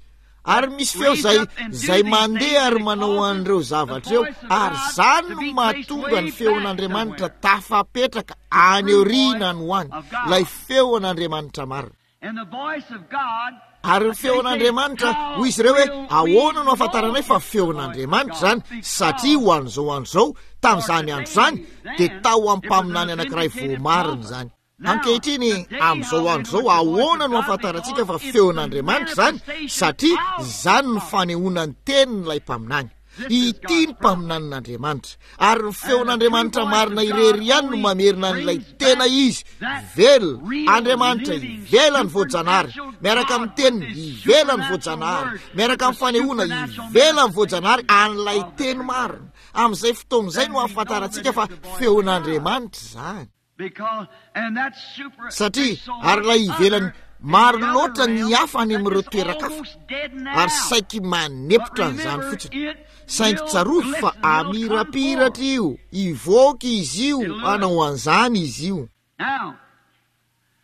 Speaker 1: Ary misy feo
Speaker 2: raise
Speaker 1: izay
Speaker 2: up and do
Speaker 1: izay
Speaker 2: these
Speaker 1: mandeha
Speaker 2: things
Speaker 1: ary
Speaker 2: and it
Speaker 1: manao
Speaker 2: causes
Speaker 1: an'ireo
Speaker 2: the
Speaker 1: zavatra ireo,
Speaker 2: voice of
Speaker 1: ary
Speaker 2: God
Speaker 1: izany
Speaker 2: to
Speaker 1: no
Speaker 2: be placed
Speaker 1: mahatonga ny
Speaker 2: way back
Speaker 1: feon'Andriamanitra
Speaker 2: somewhere.
Speaker 1: tafapetraka
Speaker 2: The
Speaker 1: any
Speaker 2: true
Speaker 1: aoriana
Speaker 2: voice
Speaker 1: any ho any,
Speaker 2: of
Speaker 1: ilay
Speaker 2: God.
Speaker 1: feon'Andriamanitra marina.
Speaker 2: And the voice of God,
Speaker 1: Ary ny
Speaker 2: they say,
Speaker 1: feon'Andriamanitra,
Speaker 2: how
Speaker 1: hoy izy ireo hoe,
Speaker 2: will we
Speaker 1: ahoana no
Speaker 2: know
Speaker 1: ahafantaranay fa
Speaker 2: it's the voice of
Speaker 1: feon'Andriamanitra
Speaker 2: God?
Speaker 1: izany? Satria ho an'izao andro izao,
Speaker 2: For
Speaker 1: tamin'izany andro izany,
Speaker 2: today,
Speaker 1: dia
Speaker 2: then,
Speaker 1: tao amin'ny
Speaker 2: it was an
Speaker 1: mpaminany anankiray
Speaker 2: authenticated
Speaker 1: voamarina
Speaker 2: prophet.
Speaker 1: izany.
Speaker 2: Now,
Speaker 1: Ankehitriny,
Speaker 2: today,
Speaker 1: amin'izao
Speaker 2: how we
Speaker 1: andro
Speaker 2: know
Speaker 1: izao,
Speaker 2: it's the voice
Speaker 1: ahoana
Speaker 2: of
Speaker 1: no
Speaker 2: God?
Speaker 1: ahafantarantsika
Speaker 2: Because
Speaker 1: fa
Speaker 2: it's the
Speaker 1: feon'Andriamanitra izany?
Speaker 2: manifestation
Speaker 1: Satria
Speaker 2: of the
Speaker 1: izany no
Speaker 2: prophet.
Speaker 1: fanehoana ny tenin'ilay mpaminany.
Speaker 2: This is
Speaker 1: Ity
Speaker 2: God's
Speaker 1: ny
Speaker 2: prophet.
Speaker 1: mpaminanin'Andriamanitra. Ary ny
Speaker 2: And the true
Speaker 1: feon'Andriamanitra
Speaker 2: voice
Speaker 1: marina
Speaker 2: of God
Speaker 1: irery ihany no
Speaker 2: only
Speaker 1: mamerina an'ilay
Speaker 2: brings
Speaker 1: tena
Speaker 2: back
Speaker 1: izy,
Speaker 2: that
Speaker 1: velona,
Speaker 2: real,
Speaker 1: Andriamanitra
Speaker 2: living,
Speaker 1: ivelan'ny voajanahary,
Speaker 2: supernatural
Speaker 1: miaraka amin'ny
Speaker 2: God with
Speaker 1: teniny
Speaker 2: His
Speaker 1: ivelan'ny
Speaker 2: supernatural
Speaker 1: voajanahary,
Speaker 2: word,
Speaker 1: miaraka
Speaker 2: with
Speaker 1: amin'ny
Speaker 2: the
Speaker 1: fanehoana
Speaker 2: supernatural
Speaker 1: ivelan'ny voajanahary
Speaker 2: manifestation
Speaker 1: an'ilay
Speaker 2: of the
Speaker 1: teny
Speaker 2: true word.
Speaker 1: marina. Amin'izay fotoana izay
Speaker 2: Then
Speaker 1: no
Speaker 2: we know that
Speaker 1: ahafantarantsika
Speaker 2: it's
Speaker 1: fa
Speaker 2: the voice of God.
Speaker 1: feon'Andriamanitra izany.
Speaker 2: Because, and that's super,
Speaker 1: Satria,
Speaker 2: there's so
Speaker 1: ary
Speaker 2: much
Speaker 1: ilay ivelany,
Speaker 2: other in
Speaker 1: maro
Speaker 2: the other
Speaker 1: loatra ny
Speaker 2: realm
Speaker 1: hafa any
Speaker 2: that
Speaker 1: amin'ireo
Speaker 2: is
Speaker 1: toeran-kafa,
Speaker 2: almost dead
Speaker 1: ary
Speaker 2: now.
Speaker 1: saiky
Speaker 2: But
Speaker 1: manempotra an'izany
Speaker 2: remember,
Speaker 1: fotsiny.
Speaker 2: it
Speaker 1: Saingy
Speaker 2: will
Speaker 1: tsarovy fa
Speaker 2: glisten, it'll come
Speaker 1: hamirapiratra
Speaker 2: forth.
Speaker 1: io, hivoaka izy io,
Speaker 2: It'll do it.
Speaker 1: hanao an'izany izy io.
Speaker 2: Now,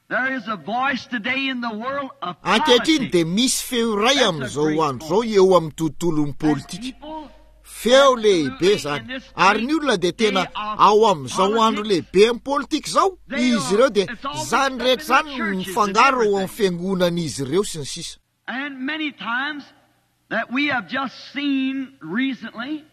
Speaker 2: there is a voice today in the world of
Speaker 1: Ankehitriny
Speaker 2: politics.
Speaker 1: dia misy feo iray
Speaker 2: That's a
Speaker 1: amin'izao
Speaker 2: great
Speaker 1: andro izao
Speaker 2: voice.
Speaker 1: eo amin'ny tontolon'ny
Speaker 2: And
Speaker 1: politika.
Speaker 2: people
Speaker 1: Feo lehibe
Speaker 2: absolutely in
Speaker 1: izany.
Speaker 2: this
Speaker 1: Ary ny
Speaker 2: great
Speaker 1: olona dia tena
Speaker 2: day of
Speaker 1: ao amin'izao andro
Speaker 2: politics,
Speaker 1: lehibe amin'ny politika izao,
Speaker 2: they
Speaker 1: izy
Speaker 2: are,
Speaker 1: ireo dia
Speaker 2: it's all mixed
Speaker 1: izany
Speaker 2: up
Speaker 1: rehetra
Speaker 2: in the
Speaker 1: izany no
Speaker 2: churches and
Speaker 1: mifangaro ao amin'ny
Speaker 2: everything.
Speaker 1: fiangonan'izy ireo sy ny sisa.
Speaker 2: And many times that we have just seen recently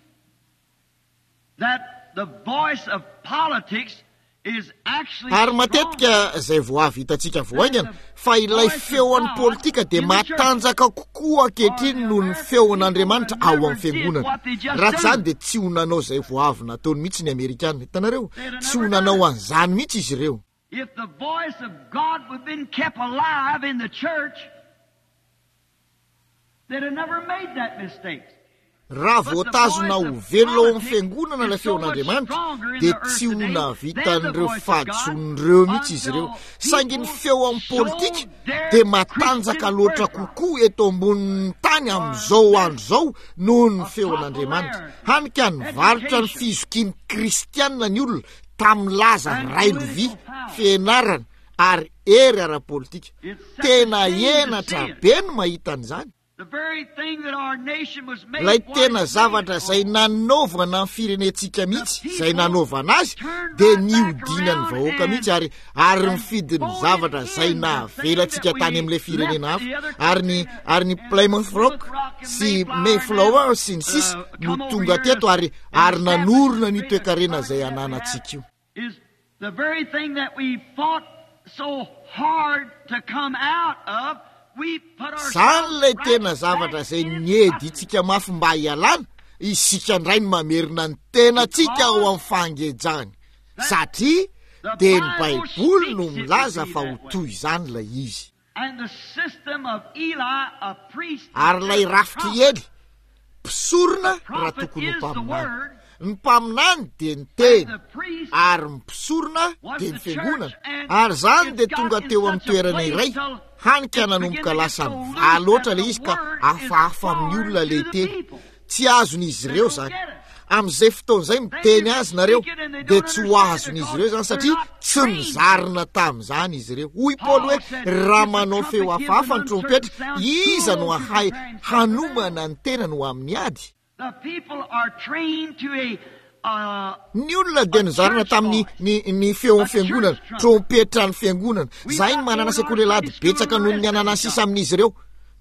Speaker 2: that the voice of politics is actually
Speaker 1: Ary
Speaker 2: stronger
Speaker 1: matetika izay vao avy hitantsika vao
Speaker 2: than
Speaker 1: haingana
Speaker 2: the
Speaker 1: fa ilay
Speaker 2: voice of
Speaker 1: feon'ny
Speaker 2: God
Speaker 1: politika dia
Speaker 2: in the churches.
Speaker 1: matanjaka kokoa
Speaker 2: Or
Speaker 1: ankehitriny
Speaker 2: the
Speaker 1: noho ny
Speaker 2: American people
Speaker 1: feon'Andriamanitra
Speaker 2: that
Speaker 1: ao
Speaker 2: never
Speaker 1: amin'ny
Speaker 2: did
Speaker 1: fiangonana.
Speaker 2: what they just
Speaker 1: Raha tsy izany
Speaker 2: do.
Speaker 1: dia tsy ho nanao izay vao avy nataony mihitsy ny Amerikana. Hitanareo?
Speaker 2: They'd have
Speaker 1: Tsy ho
Speaker 2: never done
Speaker 1: nanao
Speaker 2: it.
Speaker 1: an'izany mihitsy izy ireo.
Speaker 2: If the voice of God would have been kept alive in the church,
Speaker 1: Raha voatazona ho velona ao amin'ny fiangonana ilay feon'Andriamanitra, dia tsy ho nahavita an'ireo fahadisoana ireo mihitsy izy ireo. Saingy ny feo amin'ny politika dia matanjaka loatra kokoa eto ambonin'ny tany amin'izao andro izao noho ny feon'Andriamanitra. Hany ka nivarotra ny fizokian'ny kristiana ny olona tamin'ny laza railovy, fianarana ary hery ara-politika. Tena henatra be ny mahita an'izany. Ilay tena zavatra izay nanaovana ny firenentsika mihitsy, izay nanaovana azy, dia nihodinan'ny vahoaka mihitsy ary ary nifidy ny zavatra izay nahavela antsika tany amin'ilay firenena hafa. Ary ny ary ny Plymouth Rock sy Mayflower sy ny sisa no tonga teto ary ary nanorina an'io toekarena izay ananantsika io.
Speaker 2: Is the very thing that we fought so hard to come out of, we put
Speaker 1: Izany
Speaker 2: ourselves
Speaker 1: ilay
Speaker 2: right
Speaker 1: tena
Speaker 2: back
Speaker 1: zavatra izay
Speaker 2: in
Speaker 1: niedintsika mafy mba hialana, isika indray no mamerina ny tenantsika ao amin'ny fangejany, satria
Speaker 2: The
Speaker 1: dia ny
Speaker 2: Bible
Speaker 1: Baiboly no
Speaker 2: speaks it would
Speaker 1: milaza
Speaker 2: be
Speaker 1: fa ho
Speaker 2: that way.
Speaker 1: toy izany ilay izy.
Speaker 2: And the system of Eli, a priest
Speaker 1: Ary
Speaker 2: instead
Speaker 1: ilay
Speaker 2: of a
Speaker 1: rafitr'i
Speaker 2: prophet.
Speaker 1: Ely, mpisorona
Speaker 2: The
Speaker 1: raha
Speaker 2: prophet
Speaker 1: tokony ho
Speaker 2: is the
Speaker 1: mpaminany.
Speaker 2: word,
Speaker 1: Ny mpaminany dia ny
Speaker 2: and
Speaker 1: teny,
Speaker 2: the priest
Speaker 1: ary ny mpisorona
Speaker 2: was
Speaker 1: dia
Speaker 2: the
Speaker 1: ny fiangonana.
Speaker 2: church, and
Speaker 1: Ary izany
Speaker 2: it's
Speaker 1: dia
Speaker 2: got
Speaker 1: tonga
Speaker 2: in
Speaker 1: teo amin'ny
Speaker 2: such a
Speaker 1: toerana
Speaker 2: place
Speaker 1: iray,
Speaker 2: till
Speaker 1: hany ka
Speaker 2: it's
Speaker 1: nanomboka
Speaker 2: beginning to get
Speaker 1: lasa
Speaker 2: so
Speaker 1: mivaha
Speaker 2: loose
Speaker 1: loatra
Speaker 2: that
Speaker 1: ilay
Speaker 2: the
Speaker 1: izy ka
Speaker 2: word is
Speaker 1: hafahafa amin'ny
Speaker 2: foreign
Speaker 1: olona
Speaker 2: to
Speaker 1: ilay
Speaker 2: the
Speaker 1: teny.
Speaker 2: people.
Speaker 1: Tsy azon'izy
Speaker 2: They
Speaker 1: ireo
Speaker 2: don't
Speaker 1: izany.
Speaker 2: get it.
Speaker 1: Amin'izay fotoana izay
Speaker 2: Then
Speaker 1: miteny
Speaker 2: you
Speaker 1: azy nareo
Speaker 2: speak it and they
Speaker 1: dia
Speaker 2: don't
Speaker 1: tsy ho
Speaker 2: understand it
Speaker 1: azon'izy
Speaker 2: because
Speaker 1: ireo izany
Speaker 2: they're
Speaker 1: satria
Speaker 2: not
Speaker 1: tsy
Speaker 2: trained to it.
Speaker 1: nozarina tamin'izany izy ireo. Hoy Paoly
Speaker 2: Paul
Speaker 1: hoe,
Speaker 2: said,
Speaker 1: Raha
Speaker 2: If the
Speaker 1: manao feo
Speaker 2: trumpet gives
Speaker 1: hafahafa
Speaker 2: an
Speaker 1: ny
Speaker 2: uncertain
Speaker 1: trompetra,
Speaker 2: sound,
Speaker 1: iza no
Speaker 2: who to
Speaker 1: hahay
Speaker 2: prepare himself for battle?
Speaker 1: hanomana ny tenany ho amin'ny ady?
Speaker 2: The people are trained to a
Speaker 1: Ny olona dia
Speaker 2: a
Speaker 1: nozarina
Speaker 2: church
Speaker 1: tamin'ny
Speaker 2: voice,
Speaker 1: ny ny feon'ny
Speaker 2: a
Speaker 1: fiangonana,
Speaker 2: church trumpet.
Speaker 1: trompetran'ny fiangonana.
Speaker 2: We've
Speaker 1: Izahay no
Speaker 2: got
Speaker 1: manana
Speaker 2: more in our
Speaker 1: sekoly alahady
Speaker 2: Sunday school
Speaker 1: betsaka
Speaker 2: than the
Speaker 1: noho ny
Speaker 2: rest of
Speaker 1: ananan'ny
Speaker 2: them
Speaker 1: sisa
Speaker 2: got.
Speaker 1: amin'izy ireo.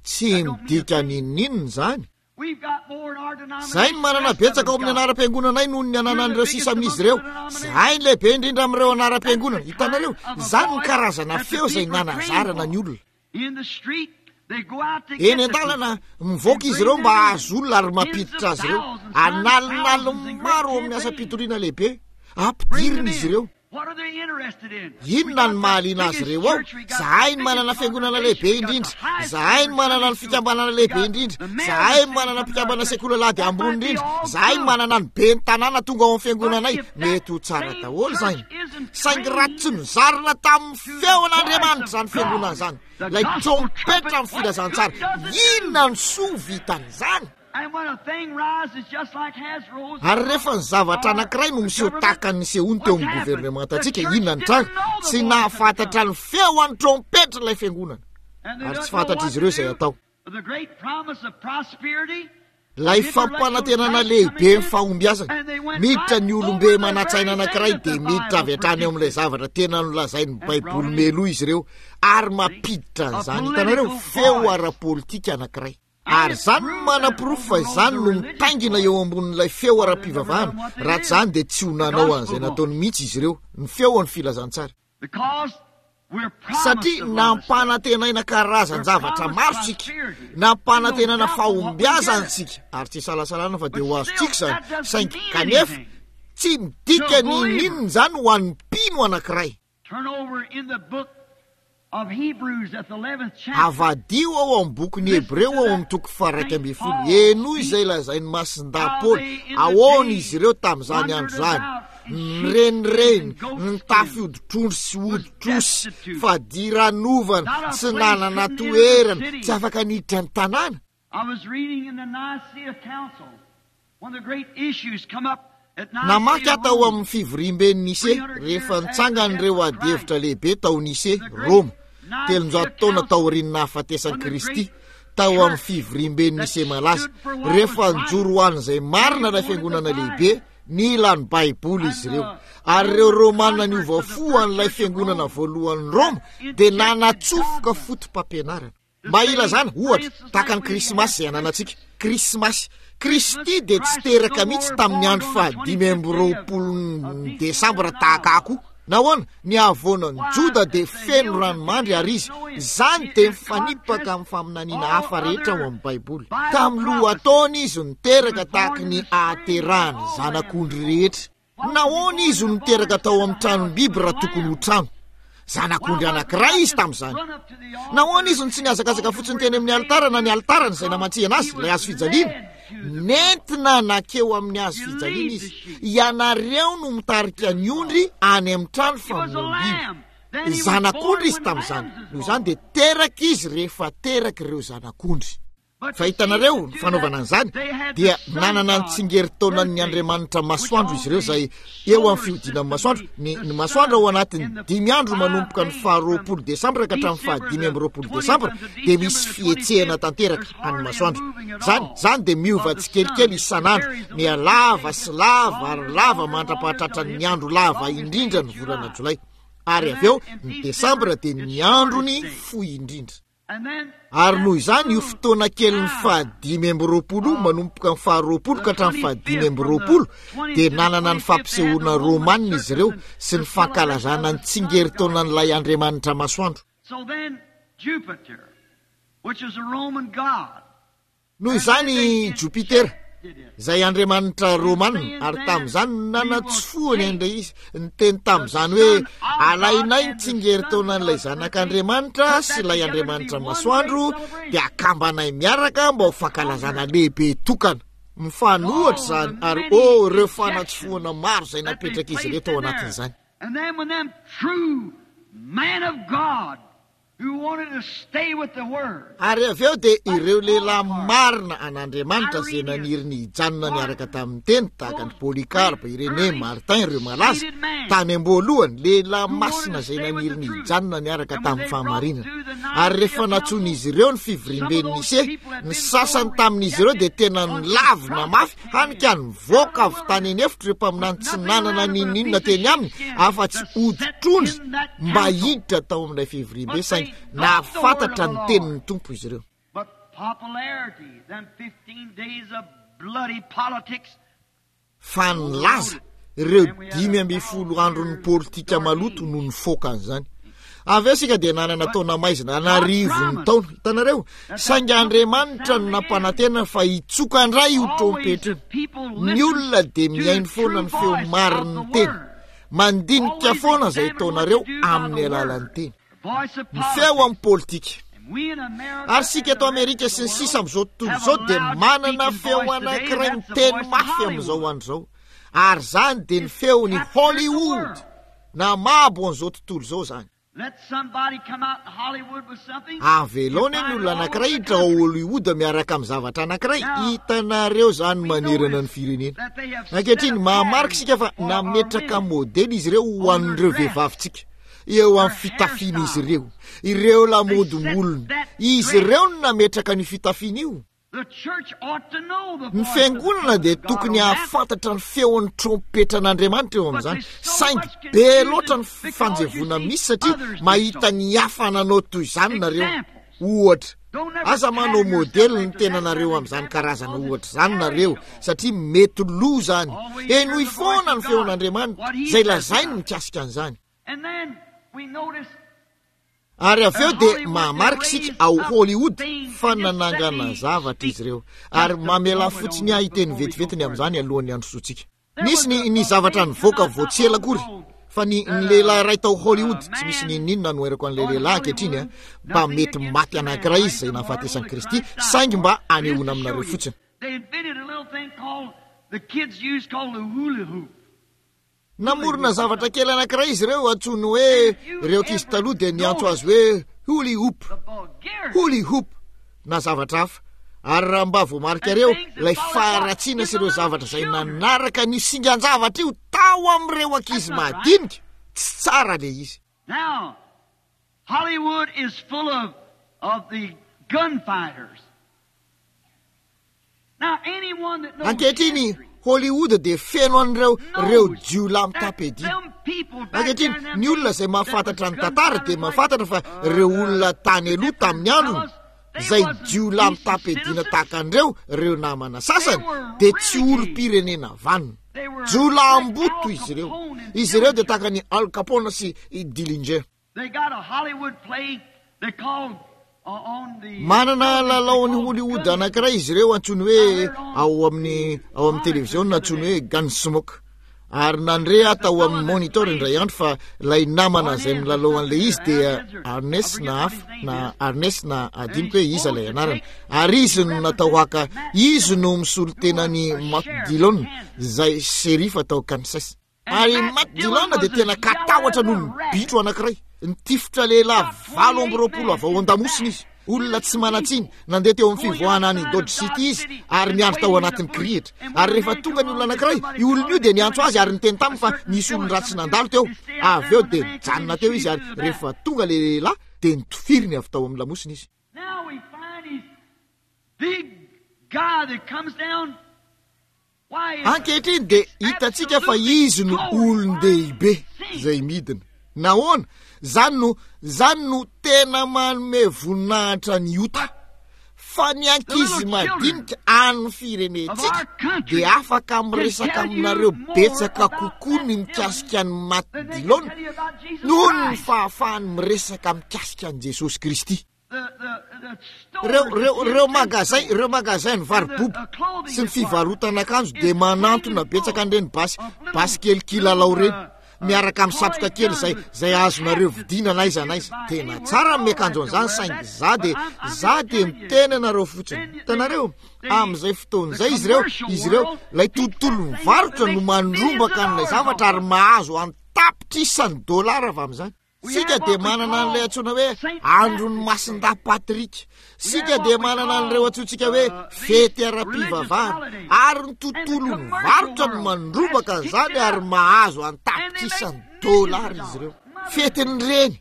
Speaker 1: Tsy
Speaker 2: That don't mean a
Speaker 1: midika
Speaker 2: thing.
Speaker 1: n'inon'inona izany.
Speaker 2: We've got more in our
Speaker 1: Izahay no
Speaker 2: denomination than the
Speaker 1: manana
Speaker 2: rest of
Speaker 1: betsaka
Speaker 2: them's
Speaker 1: ao amin'ny
Speaker 2: got.
Speaker 1: anaram-piangonanay noho ny
Speaker 2: We're the
Speaker 1: ananan'ireo
Speaker 2: biggest
Speaker 1: sisa amin'izy
Speaker 2: among the
Speaker 1: ireo.
Speaker 2: denominations.
Speaker 1: Izahay no lehibe indrindra amin'ireo
Speaker 2: That's
Speaker 1: anaram-piangonana.
Speaker 2: the
Speaker 1: Hitanareo,
Speaker 2: kind of a
Speaker 1: izany no
Speaker 2: voice
Speaker 1: karazana
Speaker 2: that the
Speaker 1: feo izay
Speaker 2: people are trained
Speaker 1: nanazarana ny
Speaker 2: for.
Speaker 1: olona.
Speaker 2: In the street, they go out to
Speaker 1: Eny
Speaker 2: get the
Speaker 1: an-dalana,
Speaker 2: people
Speaker 1: mivoaka
Speaker 2: and
Speaker 1: izy
Speaker 2: bring
Speaker 1: ireo
Speaker 2: them
Speaker 1: mba
Speaker 2: in.
Speaker 1: hahazo olona ary
Speaker 2: Tens of
Speaker 1: mampiditra azy ireo.
Speaker 2: thousands, some
Speaker 1: An'alinaliny
Speaker 2: thousands in great
Speaker 1: maro ao amin'ny
Speaker 2: campaigns.
Speaker 1: asam-pitoriana lehibe.
Speaker 2: Bring
Speaker 1: Ampidirina
Speaker 2: them
Speaker 1: izy
Speaker 2: in.
Speaker 1: ireo.
Speaker 2: What are they interested in? We
Speaker 1: Inona
Speaker 2: got
Speaker 1: no
Speaker 2: the
Speaker 1: mahaliana azy
Speaker 2: biggest
Speaker 1: ireo ao?
Speaker 2: church, we got the
Speaker 1: Zahay no
Speaker 2: biggest
Speaker 1: manana fiangonana lehibe
Speaker 2: congregation, we got the
Speaker 1: indrindra.
Speaker 2: highest
Speaker 1: Zahay no
Speaker 2: number of
Speaker 1: manana
Speaker 2: Sunday
Speaker 1: ny
Speaker 2: schools,
Speaker 1: fikambanana
Speaker 2: we
Speaker 1: lehibe
Speaker 2: got
Speaker 1: indrindra.
Speaker 2: the mayor of the
Speaker 1: Zahay no
Speaker 2: city
Speaker 1: manana
Speaker 2: come to our
Speaker 1: mpikambana
Speaker 2: church.
Speaker 1: sekoly alahady
Speaker 2: That
Speaker 1: ambony
Speaker 2: might be
Speaker 1: indrindra.
Speaker 2: all
Speaker 1: Zahay no
Speaker 2: good.
Speaker 1: manana ny ben'ny tanàna tonga ao amin'ny
Speaker 2: But
Speaker 1: fiangonanay.
Speaker 2: if that
Speaker 1: Mety ho tsara
Speaker 2: same
Speaker 1: daholo
Speaker 2: church
Speaker 1: izany.
Speaker 2: isn't
Speaker 1: Saingy raha tsy
Speaker 2: trained
Speaker 1: nozarina tamin'ny
Speaker 2: to the voice
Speaker 1: feon'Andriamanitra
Speaker 2: of
Speaker 1: izany fiangonana
Speaker 2: God,
Speaker 1: izany,
Speaker 2: the
Speaker 1: ilay
Speaker 2: gospel
Speaker 1: trompetra
Speaker 2: trumpet,
Speaker 1: amin'ny
Speaker 2: what
Speaker 1: filazantsara,
Speaker 2: good does it do?
Speaker 1: inona no soa vitan'izany?
Speaker 2: And when a thing rises just like has rose
Speaker 1: Ary
Speaker 2: above
Speaker 1: rehefa ny zavatra
Speaker 2: our
Speaker 1: anankiray no miseho
Speaker 2: government,
Speaker 1: tahaka ny nisehoany teo
Speaker 2: what's
Speaker 1: amin'ny
Speaker 2: happened? The
Speaker 1: governemantantsika,
Speaker 2: church
Speaker 1: inona ny
Speaker 2: didn't
Speaker 1: tranga?
Speaker 2: know the
Speaker 1: Tsy
Speaker 2: voice of the
Speaker 1: nahafantatra
Speaker 2: trumpet.
Speaker 1: ny feo an'ny trompetra ilay fiangonana,
Speaker 2: And they
Speaker 1: ary
Speaker 2: don't
Speaker 1: tsy
Speaker 2: know what
Speaker 1: fantatr'izy
Speaker 2: to
Speaker 1: ireo izay
Speaker 2: do.
Speaker 1: atao.
Speaker 2: The great promise of prosperity,
Speaker 1: Ilay
Speaker 2: of intellectual
Speaker 1: fampanantenana
Speaker 2: Christ
Speaker 1: lehibe
Speaker 2: coming
Speaker 1: ny
Speaker 2: in,
Speaker 1: fahombiazana.
Speaker 2: and they went
Speaker 1: Miditra
Speaker 2: right
Speaker 1: ny
Speaker 2: over
Speaker 1: olombe
Speaker 2: the very
Speaker 1: manan-tsaina
Speaker 2: thing
Speaker 1: anankiray
Speaker 2: that the
Speaker 1: dia miditra
Speaker 2: Bible
Speaker 1: avy hatrany eo amin'ilay
Speaker 2: predicted
Speaker 1: zavatra tena nolazain'ny
Speaker 2: and brought
Speaker 1: Baiboly
Speaker 2: it in.
Speaker 1: meloa izy ireo ary
Speaker 2: See?
Speaker 1: mampiditra
Speaker 2: A
Speaker 1: an'izany. Hitanareo,
Speaker 2: political
Speaker 1: feo
Speaker 2: voice.
Speaker 1: ara-politika anankiray.
Speaker 2: And
Speaker 1: Ary
Speaker 2: it
Speaker 1: izany no
Speaker 2: proved that it
Speaker 1: manaporofo fa
Speaker 2: overrode
Speaker 1: izany
Speaker 2: the
Speaker 1: no
Speaker 2: religious
Speaker 1: mitaingina
Speaker 2: voice.
Speaker 1: eo ambonin'ilay feo
Speaker 2: Or they'd never
Speaker 1: ara-pivavahana.
Speaker 2: done what they
Speaker 1: Raha
Speaker 2: did.
Speaker 1: tsy izany dia tsy ho
Speaker 2: The
Speaker 1: nanao
Speaker 2: gospel
Speaker 1: an'izay
Speaker 2: voice.
Speaker 1: nataony mihitsy izy ireo, ny feo an'ny filazantsara.
Speaker 2: Because we're promised
Speaker 1: Satria
Speaker 2: a lot of stuff.
Speaker 1: nampanantenaina
Speaker 2: We're
Speaker 1: karazan-javatra
Speaker 2: promised
Speaker 1: maro isika,
Speaker 2: prosperity. And no
Speaker 1: nampanantenana
Speaker 2: doubt what we get
Speaker 1: fahombiazana
Speaker 2: it.
Speaker 1: isika, ary tsy isalasalana fa dia
Speaker 2: But
Speaker 1: ho
Speaker 2: still,
Speaker 1: azontsika izany.
Speaker 2: that doesn't
Speaker 1: Saingy
Speaker 2: mean
Speaker 1: kanefa
Speaker 2: anything
Speaker 1: tsy
Speaker 2: to
Speaker 1: midika
Speaker 2: a
Speaker 1: ny
Speaker 2: believer.
Speaker 1: n'inona izany ho an'ny mpino anankiray.
Speaker 2: Turn over in the book of Hebrews at the 11th chapter.
Speaker 1: Avadiho ao amin'ny bokin'ny
Speaker 2: Listen
Speaker 1: Hebreo
Speaker 2: to
Speaker 1: ao
Speaker 2: that
Speaker 1: amin'ny toko faha-iraika
Speaker 2: Saint
Speaker 1: ambin'ny folo.
Speaker 2: Paul
Speaker 1: Henoy
Speaker 2: speak
Speaker 1: izay lazain'i Masindahy
Speaker 2: how
Speaker 1: Paoly.
Speaker 2: they in the
Speaker 1: Ahoana
Speaker 2: days
Speaker 1: izy ireo tamin'izany
Speaker 2: wandered
Speaker 1: andro izany?
Speaker 2: about in sheepskins
Speaker 1: Nirenireny,
Speaker 2: and
Speaker 1: nitafy
Speaker 2: goatskins,
Speaker 1: hoditr'ondry sy
Speaker 2: was
Speaker 1: hoditr'osy,
Speaker 2: destitute,
Speaker 1: fadiranovana,
Speaker 2: not a
Speaker 1: tsy
Speaker 2: place
Speaker 1: nanana
Speaker 2: couldn't enter the
Speaker 1: toerana,
Speaker 2: city.
Speaker 1: tsy afaka niditra ny tanàna.
Speaker 2: I was reading in the Nicaea Council, one of the great issues come up at
Speaker 1: Namaky
Speaker 2: Nicaea,
Speaker 1: aho tao
Speaker 2: Rome,
Speaker 1: amin'ny fivoriamben'i Nise
Speaker 2: 300
Speaker 1: rehefa
Speaker 2: years after the death
Speaker 1: nitsangan'ireo
Speaker 2: of Christ.
Speaker 1: adihevitra lehibe tao Nise,
Speaker 2: The great
Speaker 1: Roma,
Speaker 2: Nicaea
Speaker 1: 300 taona
Speaker 2: Council,
Speaker 1: taorian'ny nahafatesan'i
Speaker 2: one of the
Speaker 1: Kristy,
Speaker 2: great
Speaker 1: tao amin'ny
Speaker 2: church
Speaker 1: fivoriamben'i
Speaker 2: that
Speaker 1: Nise malaza,
Speaker 2: stood for what was
Speaker 1: rehefa
Speaker 2: right,
Speaker 1: nijoro ho an'izay
Speaker 2: they
Speaker 1: marina ilay
Speaker 2: wanted the
Speaker 1: fiangonana
Speaker 2: Bible.
Speaker 1: lehibe, nila ny Baiboly
Speaker 2: And
Speaker 1: izy ireo.
Speaker 2: the
Speaker 1: Ary ireo
Speaker 2: Roman
Speaker 1: Romana
Speaker 2: converts
Speaker 1: niova
Speaker 2: of the
Speaker 1: fo
Speaker 2: first
Speaker 1: an'ilay
Speaker 2: church of
Speaker 1: fiangonana
Speaker 2: Rome
Speaker 1: voalohan'i
Speaker 2: that
Speaker 1: Roma dia
Speaker 2: injected
Speaker 1: nanatsofoka
Speaker 2: dogma
Speaker 1: foto-pampianarana.
Speaker 2: to
Speaker 1: Mba
Speaker 2: say,
Speaker 1: hilazana,
Speaker 2: for
Speaker 1: ohatra,
Speaker 2: instance,
Speaker 1: tahaka
Speaker 2: like
Speaker 1: ny
Speaker 2: we
Speaker 1: Krismasy
Speaker 2: have
Speaker 1: izay ananantsika.
Speaker 2: Christmas.
Speaker 1: Krismasy.
Speaker 2: Christmas,
Speaker 1: Kristy dia tsy
Speaker 2: Christ was
Speaker 1: teraka
Speaker 2: no
Speaker 1: mihitsy
Speaker 2: more
Speaker 1: tamin'ny
Speaker 2: born
Speaker 1: andro
Speaker 2: on the
Speaker 1: fahadimy amby
Speaker 2: 25th day of,
Speaker 1: roapolo
Speaker 2: of December
Speaker 1: desambra
Speaker 2: in
Speaker 1: tahaka
Speaker 2: Iowa.
Speaker 1: akoho. Nahoana? Ny havoanan'i
Speaker 2: Why,
Speaker 1: Joda dia
Speaker 2: the
Speaker 1: feno
Speaker 2: hills of
Speaker 1: ranomandry
Speaker 2: Judah
Speaker 1: ary
Speaker 2: is
Speaker 1: izy.
Speaker 2: no end.
Speaker 1: Izany
Speaker 2: It
Speaker 1: dia
Speaker 2: is
Speaker 1: mifanipaka
Speaker 2: contrast
Speaker 1: amin'ny faminaniana
Speaker 2: all
Speaker 1: hafa rehetra ao
Speaker 2: other
Speaker 1: amin'ny Baiboly.
Speaker 2: Bible
Speaker 1: Tamin'ny
Speaker 2: prophecies.
Speaker 1: lohataona izy no
Speaker 2: He
Speaker 1: teraka
Speaker 2: was born
Speaker 1: tahaka
Speaker 2: in
Speaker 1: ny
Speaker 2: the spring like
Speaker 1: ahaterahany
Speaker 2: all lambs
Speaker 1: zanak'ondry
Speaker 2: are born.
Speaker 1: rehetra.
Speaker 2: Why was he
Speaker 1: Nahoana
Speaker 2: born
Speaker 1: izy
Speaker 2: in
Speaker 1: no
Speaker 2: a barn
Speaker 1: niteraka
Speaker 2: instead
Speaker 1: tao
Speaker 2: of a
Speaker 1: amin'ny
Speaker 2: house
Speaker 1: tranom-biby
Speaker 2: with
Speaker 1: raha tokony ho
Speaker 2: lambs?
Speaker 1: trano? Zanak'ondry anankiray izy tamin'izany. Nahoana izy no tsy nihazakazaka fotsiny teny amin'ny alitara na ny alitarany izay namantsihana azy, ilay hazo fijaliana? Nentina nankeo amin'ny hazo fijaliana izy. Ianareo no mitarika ny ondry any amin'ny trano famonoam-biby. Zanak'ondry izy tamin'izany. Noho izany dia teraka izy rehefa teraka ireo zanak'ondry. Fa hitanareo, ny fanaovana an'izany, dia nanana ny tsingerin-taonan'ny andriamanitra masoandro izy ireo izay eo amin'ny fihodinan'ny masoandro. Ny, ny masoandro ao anatin'ny dimy andro manomboka ny faharoapolo desambra ka hatramin'ny fahadimy amby roapolo desambra dia misy fihetsehana tanteraka an'ny masoandro. Izany, izany dia miova tsikelikely isan'andro, mihalava sy lava ary lava mandra-pahatratran'ny andro lava indrindra ny volana jolay. Ary avy eo, ny desambra dia ny androny fohy indrindra. Ary noho izany io fotoana kelin'ny fahadimy amby roapolo io, manomboka ny faharoapolo ka hatramin'ny fahadimy amby roapolo, dia nanana ny fampisehoana romanina izy ireo sy ny fankalazana ny tsingerin-taonan'ilay andriamanitra masoandro. Noho izany i Jopitera, izay andriamanitra romana, ary tamin'izany no nanatsofohany an'ilay izy, niteny tamin'izany hoe, Alainay ny tsingerin-taonan'ilay Zanak'Andriamanitra sy ilay Andriamanitra Masoandro, dia akambanay miaraka mba ho fankalazana lehibe tokana. Mifanohitra izany, ary oh, ireo fanatsofohana maro izay napetrak'izy ireo tao anatin'izany.
Speaker 2: And then when them true man of God
Speaker 1: Ary avy eo dia ireo lehilahy marina an'Andriamanitra izay naniry ny hijanona niaraka tamin'ny Teny, tahaka an'i Polycarpe, Irénée, Martin, ireo malaza, tany am-boalohany, lehilahy masina izay naniry ny hijanona niaraka tamin'ny fahamarinana. Ary rehefa nantsoin'izy ireo ny fivoriamben'i Nicée, ny sasany tamin'izy ireo dia tena nilavina mafy, hany ka nivoaka avy tany an'efitra ireo mpaminany tsy nanana n'inon'inona teny aminy afa-tsy hoditr'ondry mba hiditra tao amin'ilay fivoriambe, saingy nahafantatra ny tenin'ny Tompo izy ireo. Fa nilaza ireo 15 andron'ny politika maloto no nifoaka an'izany. Avy eo isika dia nanana taona maizina an'arivony taona. Hitanareo? Saingy Andriamanitra no nampanantena fa hitsoka indray io trompetra io. Ny olona dia mihaino foana ny feo marin'ny teny. Mandinika foana izay ataonareo amin'ny alalan'ny teny. Ny feo amin'ny politika. Ary isika eto Amerika sy ny sisa amin'izao tontolo izao dia manana feo anankiray miteny mafy amin'izao andro izao. Ary izany dia ny feon'i Hollywood. Namabo an'izao tontolo izao izany. Avelao anie ny olona anankiray hiditra ao Hollywood miaraka amin'ny zavatra anankiray. Hitanareo izany manerana ny firenena. Ankehitriny, mahamarika isika fa nametraka modely izy ireo ho an'ireo vehivavintsika. Eo amin'ny fitafian'izy ireo. Ireo lamaodim-bolony. Izy ireo no nametraka an'io fitafiana io. Ny fiangonana dia tokony hahafantatra ny feon'ny trompetran'Andriamanitra eo amin'izany, saingy be loatra ny fifanjevoana misy satria mahita ny hafa nanao toy izany nareo. Ohatra, aza manao modely ny tenanareo amin'izany karazana ohatra izany nareo, satria mety lo izany. Henoy foana ny feon'Andriamanitra, izay lazainy mikasika an'izany. Ary avy eo dia mahamarika isika ao Hollywood fa nanangana zavatra izy ireo. Ary mamelà fotsiny ahy hiteny vetivety ny amin'izany alohan'ny handrosoantsika. Nisy ny, ny zavatra nivoaka vao tsy ela akory, fa ny, ny lehilahy iray tao Hollywood, tsy misy n'inon'inona anoherako an'ilay lehilahy ankehitriny, an, mba mety maty anankiray izy izay nahafatesan'i Kristy, saingy mba hanehoana aminareo fotsiny. Namorona zavatra kely anankiray izy ireo antsoiny hoe, ireo ankizy taloha dia niantso azy hoe huli hoop, huli hoop, na zavatra hafa. Ary raha mba voamarikareo, ilay faharatsiana sy ireo zavatra izay nanaraka an'io singan-javatra io tao amin'ireo ankizy madinika, tsy tsara ilay izy.
Speaker 2: Now, Hollywood is full of, of the gunfighters.
Speaker 1: Ankehitriny, Hollywood dia feno an'ireo ireo jiolahy mitam-piadiana. Ankehitriny, ny olona izay mahafantatra ny tantara dia mahafantatra fa ireo olona tany aloha tamin'ny androny, izay jiolahy mitam-piadiana tahaka an'ireo, ireo namana sasany, dia tsy olom-pirenena vanona. Jiolahimboto izy ireo. Izy ireo dia tahaka an'i Al Capone sy i Dillinger. Manana lalaon'i Hollywood anankiray izy ireo antsoiny hoe ao amin'ny ao amin'ny televiziona antsoiny hoe Gunsmoke. Ary nandre aho tao amin'ny monitor indray andro fa ilay namana izay milalao an'ilay izy dia Arnes na hafa, na Arnes na adinoko hoe iza ilay anarany. Ary izy no natao haka, izy no misolo tena an'i Matt Dillon, izay sheriff tao Kansas. Ary i Matt Dillon dia tena katahotra noho ny bitro anankiray. Nitifitra lehilahy 28 avy ao an-damosina izy. Olona tsy manan-tsiny. Nandeha teo amin'ny fivoahana any Dodge City izy ary niandry tao anatin'ny kirihitra. Ary rehefa tonga ny olona anankiray, io olona io dia niantso azy ary niteny taminy fa nisy olon-dratsy nandalo teo. Avy eo dia nijanona teo izy ary rehefa tonga ilay lehilahy dia nitofiriny avy tao amin'ny lamosina izy. Ankehitriny dia hitantsika fa izy no olon-dehibe izay midina. Nahoana? Izany no, izany no tena manome voninahitra ny ota. Fa ny ankizy madinika an'ny firenentsika dia afaka miresaka aminareo betsaka kokoa ny mikasika an'i Matt Dillon noho ny fahafahany miresaka mikasika an'i Jesosy Kristy. Ireo, ireo, ireo magazay, ireo magazay ny varoboba sy ny fivarotana akanjo dia manantona betsaka an'ireny basy, basy kely kilalao ireny, miaraka amin'ny satroka kely izay, izay azonareo vidiana na aiza na aiza. Tena tsara ny miakanjo an'izany saingy za dia, za dia miteny anareo fotsiny. Hitanareo? Amin'izay fotoana izay izy ireo, izy ireo, ilay tontolon'ny varotra no mandrombaka an'ilay zavatra ary mahazo an-tapitrisany dolara avy amin'izany. Sika dia manana an'ilay antsoina hoe andron'ny Masindahy Patrick. Sika dia manana an'ireo antsointsika hoe fety ara-pivavahana. Ary ny tontolon'ny varotra no mandrombaka an'izany ary mahazo an-tapitrisany dolara izy ireo. Fetin'ny reny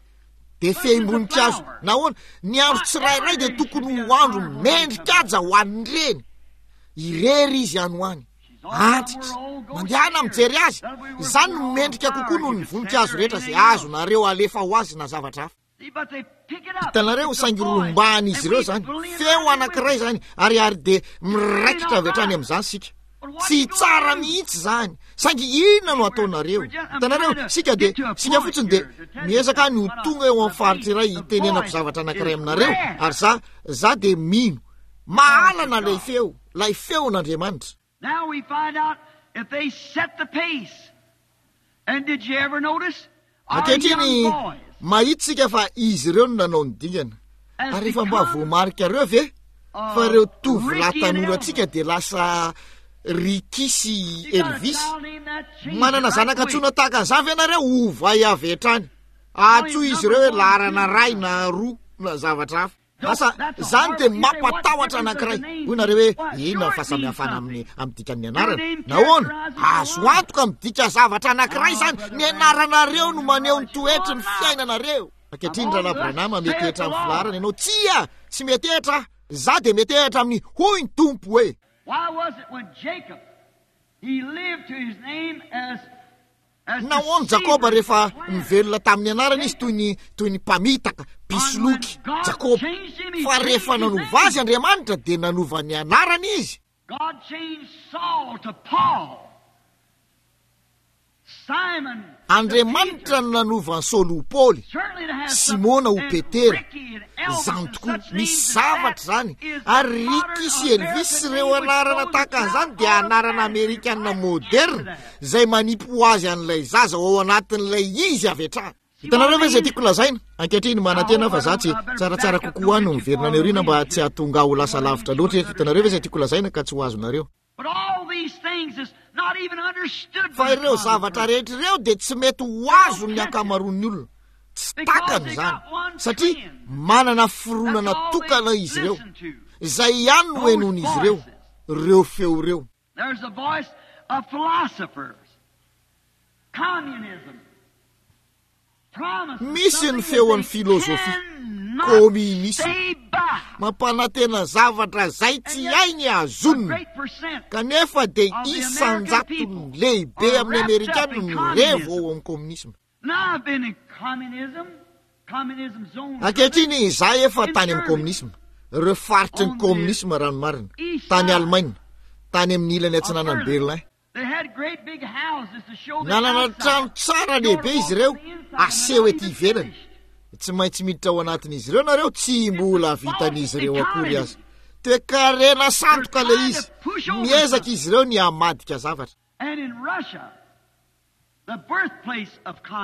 Speaker 1: dia fehim-boninkazo. Nahoana? Ny andro tsirairay dia tokony ho andro mendrikaja ho an'ny reny. Irery izy any ho any. Antitra. Mandehana mijery azy. Izany no mendrika kokoa noho ny voninkazo rehetra izay azonareo alefa ho azy na zavatra hafa. Hitanareo, saingy rombahan'izy ireo izany. Feo anankiray izany, ary, ary dia miraikitra avy hatrany amin'izany isika. Tsy tsara mihitsy izany. Saingy inona no ataonareo? Hitanareo, isika dia, isika fotsiny dia miezaka ny ho tonga eo amin'ny faritra iray hitenenako zavatra anankiray aminareo, ary za, za dia mino. Mahalana ilay feo. Ilay feon'Andriamanitra.
Speaker 2: Now we find out if they set the pace. And did you ever notice? Our
Speaker 1: Ankehitriny,
Speaker 2: young boys
Speaker 1: mahita isika fa izy ireo no nanao ny dingana.
Speaker 2: has
Speaker 1: Ary efa mba
Speaker 2: become
Speaker 1: voamarikareo ve fa ireo tovolahy
Speaker 2: Ricky and
Speaker 1: tanorantsika
Speaker 2: Elvis.
Speaker 1: dia lasa Ricky sy
Speaker 2: You got a
Speaker 1: Elvis?
Speaker 2: child named that, change it
Speaker 1: Manana
Speaker 2: right
Speaker 1: zanaka
Speaker 2: quick.
Speaker 1: antsoina tahaka an'izany ve nareo? Ovay avy hatrany. Antsoy izy ireo hoe laharana iray na roa na zavatra hafa. Asa, izany dia mampatahotra anankiray. Hoy nareo hoe, inona ny fahasamihafana amin'ny, amin'ny dikan'ny anarana? Nahoana? Azo antoka midika zavatra anankiray izany. Ny anaranareo no maneho ny toetry ny fiainanareo. Ankehitriny, Rahalahy Branham, metehitra amin'ny filaharana ianao. Tsia! Tsy metehitra aho. Izaho dia metehitra amin'ny hoy ny Tompo hoe.
Speaker 2: Why was it when Jacob, he lived to his name as
Speaker 1: Nahoana Jakoba rehefa nivelona tamin'ny anarany izy toy ny toy ny mpamitaka, mpisoloky, Jakoba. Fa rehefa nanova azy Andriamanitra dia nanova ny anarany izy. Andriamanitra no nanova an'i Saoly ho Paoly, Simona ho Petera. Izany tokoa, misy zavatra izany. Ary Ricky sy Elvis sy ireo anarana tahaka an'izany dia anarana amerikana moderna izay manipy ho azy an'ilay zaza ao anatin'ilay izy avy hatrany. Hitanareo ve izay tiako lazaina? Ankehitriny, manantena aho fa za tsy, tsaratsara kokoa aho no miverina any aoriana mba tsy hahatonga ahy ho lasa lavitra loatra eto. Hitanareo ve izay tiako lazaina ka tsy ho azonareo? Fa ireo zavatra rehetra ireo dia tsy mety ho azon'ny ankamaroan'ny olona. Tsy takany izany, satria manana fironana tokana izy ireo. Izay ihany no henoin'izy ireo, ireo feo ireo. Misy ny feon'ny filozofia, kominisma, mampanantena zavatra izay tsy hainy hazonina, kanefa dia isan-jatony lehibe amin'ny Amerikana no revo ao amin'ny kominisma. Ankehitriny, izaho efa tany amin'ny kominisma, ireo faritry ny kominisma raha ny marina, tany Alemaina, tany amin'ny ilany atsinanan'i Berlin. Nanana trano tsara lehibe izy ireo aseho ety ivelany. Tsy maintsy miditra ao anatin'izy ireo nareo, tsy mbola vitan'izy ireo akory aza. Toekarena sandoka ilay izy. Miezaka izy ireo ny hamadika zavatra.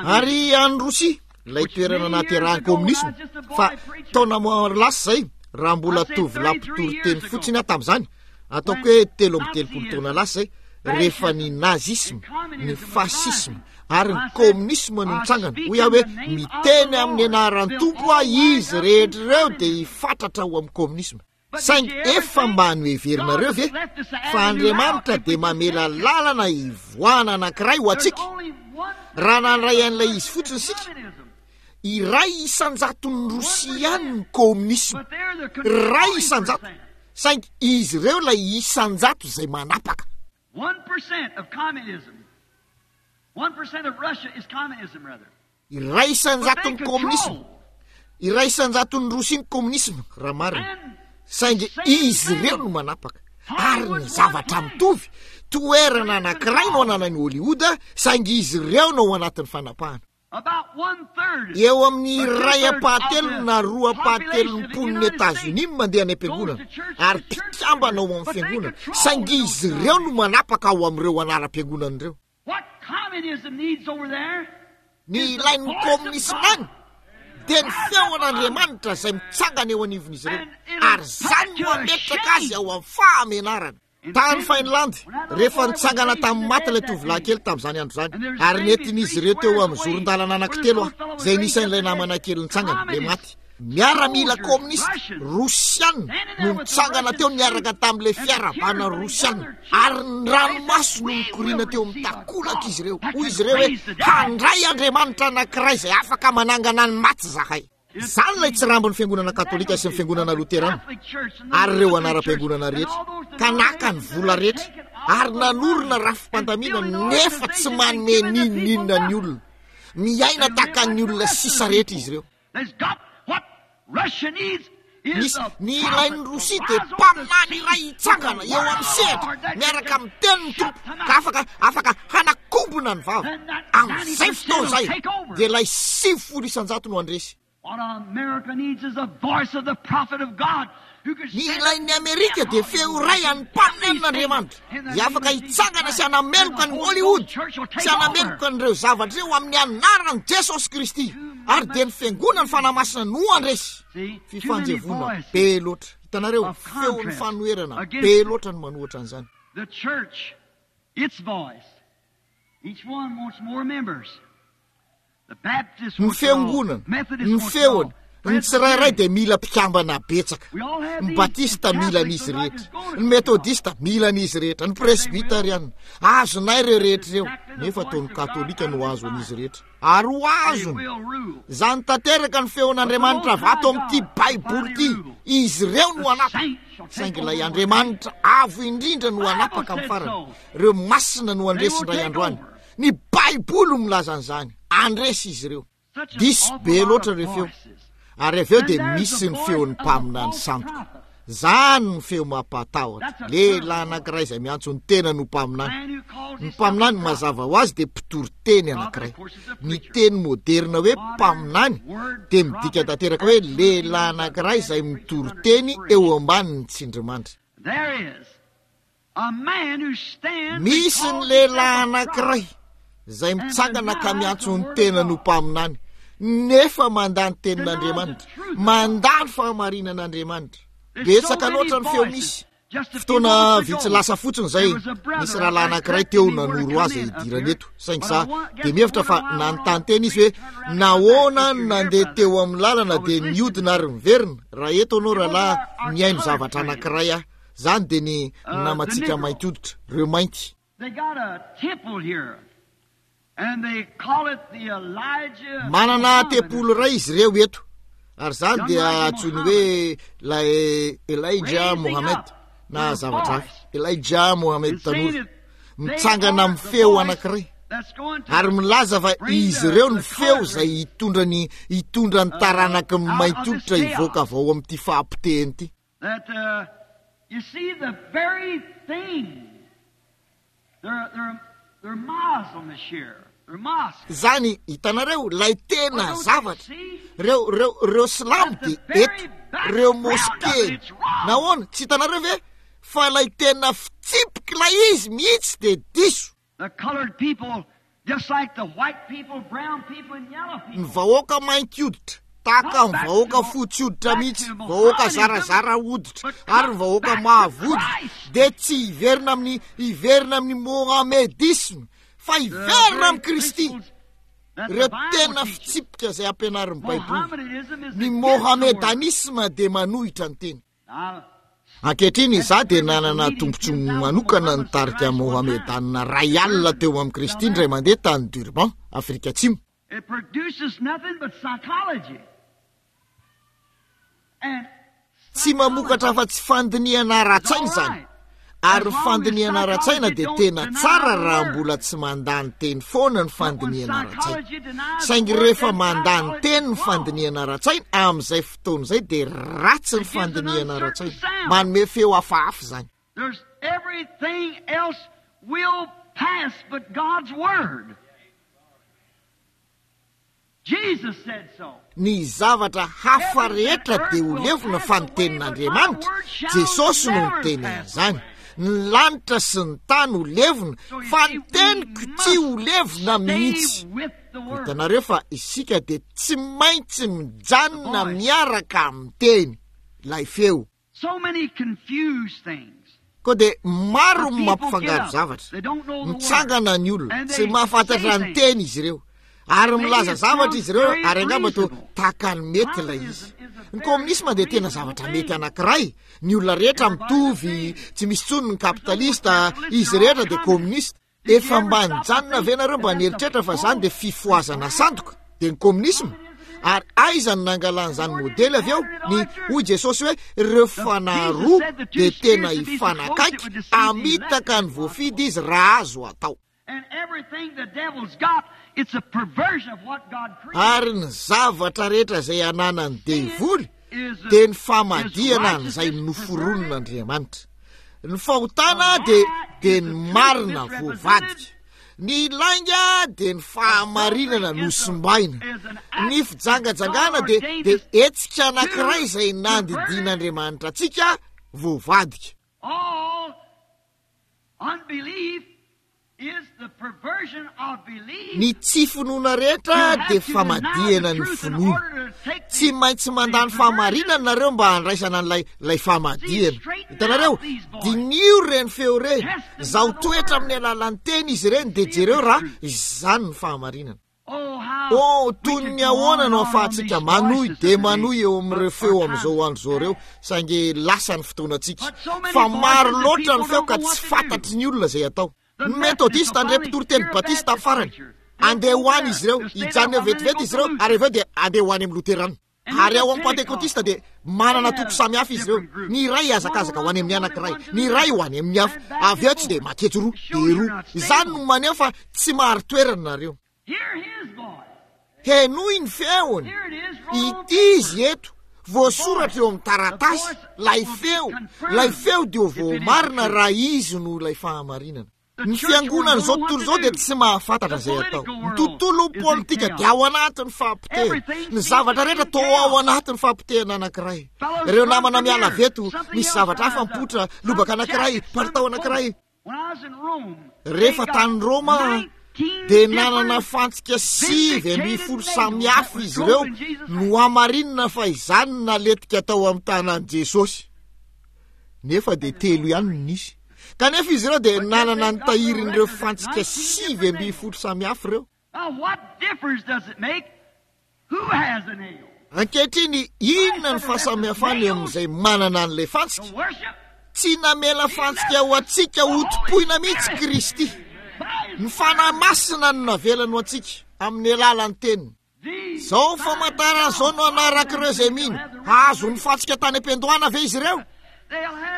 Speaker 1: Ary any Rosia, ilay toerana nahaterahan'ny kominisma, fa taona maro lasa izay, raha mbola tovolahy mpitory teny fotsiny aho tamin'izany, ataoko hoe 33 taona lasa izay, rehefa ny nazisma, ny fasisma ary ny kominisma no nitsangana, hoy aho hoe miteny amin'ny anaran'ny Tompo aho, izy rehetra ireo dia hifatratra ho amin'ny kominisma. Saingy efa mba noheverinareo ve fa Andriamanitra dia mamela lalana hivoahana anankiray ho antsika? Raha nandray an'ilay izy fotsiny isika, iray isan-jaton'ny Rosia ihany ny kominisma. Iray isan-jato. Saingy izy ireo ilay isan-jato izay manapaka. Iray isan-jaton'ny kominisma. Iray isan-jaton'ny Rosia ny kominisma, raha marina. Saingy izy ireo no manapaka. Ary ny zavatra mitovy, toerana anankiray no ananan'i Hollywood, saingy izy ireo no ao anatin'ny fanapahana. Eo amin'ny iray ampahatelony na roa ampahatelon'ny mponin'i Etazonia no mandeha any am-piangonana, ary mpikambana ao amin'ny fiangonana, saingy izy ireo no manapaka ao amin'ireo anaram-piangonana ireo. Ny ilain'ny kominisma any dia ny feon'Andriamanitra izay mitsangana eo anivon'izy ireo, ary izany no hametraka azy ao amin'ny fahamenarana. Tany Finlande, rehefa nitsangana tamin'ny maty ilay tovolahy kely tamin'izany andro izany, ary nentin'izy ireo teo amin'ny zoron-dalana anankitelo aho, izay nisan'ilay namana kely nitsangana, ilay maty. Miaramila kominista rosiana no nitsangana teo niaraka tamin'ilay fiarahabana rosiana, ary ny ranomaso no nikoriana teo amin'ny takolak'izy ireo. Hoy izy ireo hoe, Handray Andriamanitra anankiray izay afaka manangana ny maty izahay. Izany ilay tsirambin'ny Fiangonana Katolika sy ny Fiangonana Loterana ary ireo anaram-piangonana rehetra, ka naka ny vola rehetra ary nanorina rafi-pandaminana nefa tsy manome n'inon'inona ny olona. Miaina tahaka ny olona sisa rehetra izy ireo. Misy, ny ilain'i Rosia dia mpaminany iray hitsangana eo amin'ny sehatra miaraka amin'ny tenin'ny Tompo ka afaka, afaka hanakombona ny vava. Amin'izay fotoana izay dia ilay 90% no handresy. Ny ilain'ny Amerika dia feo iray an'ny mpaminanin'Andriamanitra izay afaka hitsangana sy hanameloka an'i Hollywood sy hanameloka an'ireo zavatra ireo amin'ny anaran'i Jesosy Kristy, ary dia ny Fiangonan'ny Fanahy Masina no handresy. Fifanjevoana be loatra. Hitanareo, feon'ny fanoherana be loatra no manohitra an'izany. Ny fiangonana, ny feony, ny tsirairay dia mila mpikambana betsaka. Ny Batista mila an'izy rehetra, ny Metodista mila an'izy rehetra, ny Presbyteriana. Azonay ireo rehetra ireo, nefa toa ny Katolika no azo an'izy rehetra. Ary ho azony. Izany tanteraka ny feon'Andriamanitra avy ato amin'ity Baiboly ity. Izy ireo no hanapaka. Saingy ilay Andriamanitra avo indrindra no hanapaka amin'ny farany. Ireo masina no handresy indray andro any. Ny Baiboly no milaza an'izany. Handresy izy ireo. Diso be loatra ireo feo. Ary avy eo dia misy ny feon'ny mpaminany sandoka. Izany no feo mampatahotra. Lehilahy anankiray izay miantso ny tenany ho mpaminany. Ny mpaminany mazava ho azy dia mpitory teny anankiray. Ny teny moderina hoe mpaminany dia midika tanteraka hoe lehilahy anankiray izay mitory teny eo ambanin'ny tsindrimandry. Misy ny lehilahy anankiray izay mitsangana ka miantso ny tenany ho mpaminany, nefa mandà ny tenin'Andriamanitra, mandà ny fahamarinan'Andriamanitra. Betsaka loatra ny feo misy. Fotoana vitsy lasa fotsiny izay, nisy rahalahy anankiray teo nanoro azy hidirany eto, saingy za dia mihevitra fa nanontany tena izy hoe nahoana no nandeha teo amin'ny lalana dia niodina ary niverina. Raha eto ianao rahalahy, nihaino zavatra anankiray aho. Izany dia ny namantsika mainty hoditra, ireo mainty. Manana tempoly iray izy ireo eto, ary izany dia antsoiny hoe ilay Elijah Mohammed, na zavatra hafa. Elijah Mohammed tanora, mitsangana amin'ny feo anankiray, ary milaza fa izy ireo ny feo izay hitondra ny hitondra ny taranaky ny mainty hoditra hivoaka avy ao amin'ity fahapotehana ity.
Speaker 2: That you see the very thing they're they're they're Muslims here. They're mosques.
Speaker 1: Izany, hitanareo, ilay tena zavatra. Ireo, ireo, ireo silamo dia eto, ireo moske. Nahoana, tsy hitanareo ve fa ilay tena fitsipik'ilay izy mihitsy dia diso.
Speaker 2: The colored people.
Speaker 1: Ny vahoaka mainty hoditra, tahaka ny vahoaka fotsy hoditra mihitsy, vahoaka zarazara hoditra, ary ny vahoaka mavo hoditra, dia tsy hiverina amin'ny, hiverina amin'ny Mohamedisme, fa hiverina amin'i Kristy. Ireo tena fitsipika izay ampianarin'ny Baiboly. Ny Mohamedanisme dia manohitra ny teny. Ankehitriny, izaho dia nanana tombontsoa manokana nitarika Mohamedana iray alina teo amin'i Kristy indray mandeha tany Durban, Afrika Atsimo. Tsy mamokatra afa-tsy fandinihana ara-tsaina izany, ary ny fandinihana ara-tsaina dia tena tsara raha mbola tsy mandà ny teny foana ny fandinihana ara-tsaina. Saingy rehefa mandà ny teny ny fandinihana ara-tsaina, amin'izay fotoana izay dia ratsy ny fandinihana ara-tsaina. Manome feo hafahafa izany. Ny zavatra hafa rehetra dia ho levona fa ny tenin'Andriamanitra, Jesosy no niteny an'izany. Ny lanitra sy ny tany ho levona fa ny teniko tsy ho levona mihitsy. Hitanareo fa isika dia tsy maintsy mijanona miaraka amin'ny teny, ilay feo. Koa dia maro ny mampifangaro zavatra. Mitsangana ny olona, tsy mahafantatra ny teny izy ireo. Ary milaza zavatra izy ireo, ary angamba toa tahaka ny mety ilay izy. Ny kominisma dia tena zavatra mety anankiray. Ny olona rehetra mitovy, tsy misy intsony ny kapitalista, izy rehetra dia kominista. Efa mba nijanona ve nareo mba nieritreritra fa zany dia fifohazana sandoka? Dia ny kominisma? Ary aiza no nangalan'izany modely avy eo? Ny hoy Jesosy hoe ireo fanahy roa dia tena hifanakaiky, hamitaka ny voafidy izy raha azo atao. Ary ny zavatra rehetra izay ananan'ny devoly dia ny famadihana an'izay noforonin'Andriamanitra. Ny fahotana dia dia ny marina voavadika. Ny lainga dia ny fahamarinana nosimbaina. Ny fijangajangana dia dia hetsika anankiray izay nandidian'Andriamanitra antsika voavadika. Ny tsy finoana rehetra dia famadihana ny finoana. Tsy maintsy mandà ny fahamarinana nareo mba handraisana an'ilay ilay famadihana. Hitanareo? Diniho ireny feo ireny. Zaho toetra amin'ny alalan'ny teny izy ireny dia jereo raha izany ny fahamarinana. Oh, toy ny ahoana no ahafahantsika manohy dia manohy eo amin'ireo feo amin'izao andro izao ireo, saingy lasa ny fotoanantsika. Fa maro loatra ny feo ka tsy fantatry ny olona izay atao. Ny Metodista handre mpitoriteny Batista amin'ny farany. Handeha ho any izy ireo, hijanona eo vetivety izy ireo, ary avy eo dia handeha ho any amin'ny Loterana. Ary ao amin'ny Pantekotista dia manana toko samihafa izy ireo. Ny iray hihazakazaka ho any amin'ny anankiray, ny iray ho any amin'ny hafa. Avy eo tsy dia maketsy roa, dia roa. Izany no maneho fa tsy marin-toerana nareo. Henoy ny feony. Ity izy eto, voasoratra eo amin'ny taratasy, ilay feo. Ilay feo dia ho voamarina raha izy no ilay fahamarinana. Ny fiangonan'izao tontolo izao dia tsy mahafantatra izay atao. Ny tontolo politika dia ao anatin'ny fahapotehana. Ny zavatra rehetra toa ao anatin'ny fahapotehana anankiray. Ireo namana miala avy eto, misy zavatra hafa mipoitra, lobaka anankiray, palitao anankiray. Rehefa tany Roma aho, dia nanana fantsika 19 samy hafa izy ireo nohamarinina fa izany no naletika tao amin'ny tanan'i Jesosy. Nefa dia telo ihany no nisy. Kanefa izy ireo dia nanana ny tahirin'ireo fantsika 19 samihafa ireo. Ankehitriny, inona ny fahasamihafana eo amin'izay manana an'ilay fantsika? Tsy namela fantsika ho antsika hotompoina mihitsy Kristy. Ny Fanahy Masina no navelany ho antsika amin'ny alalan'ny Teniny. Izao famantarana izao no hanarak'ireo izay mino. Hahazo ny fantsika tany am-piandohana ve izy ireo?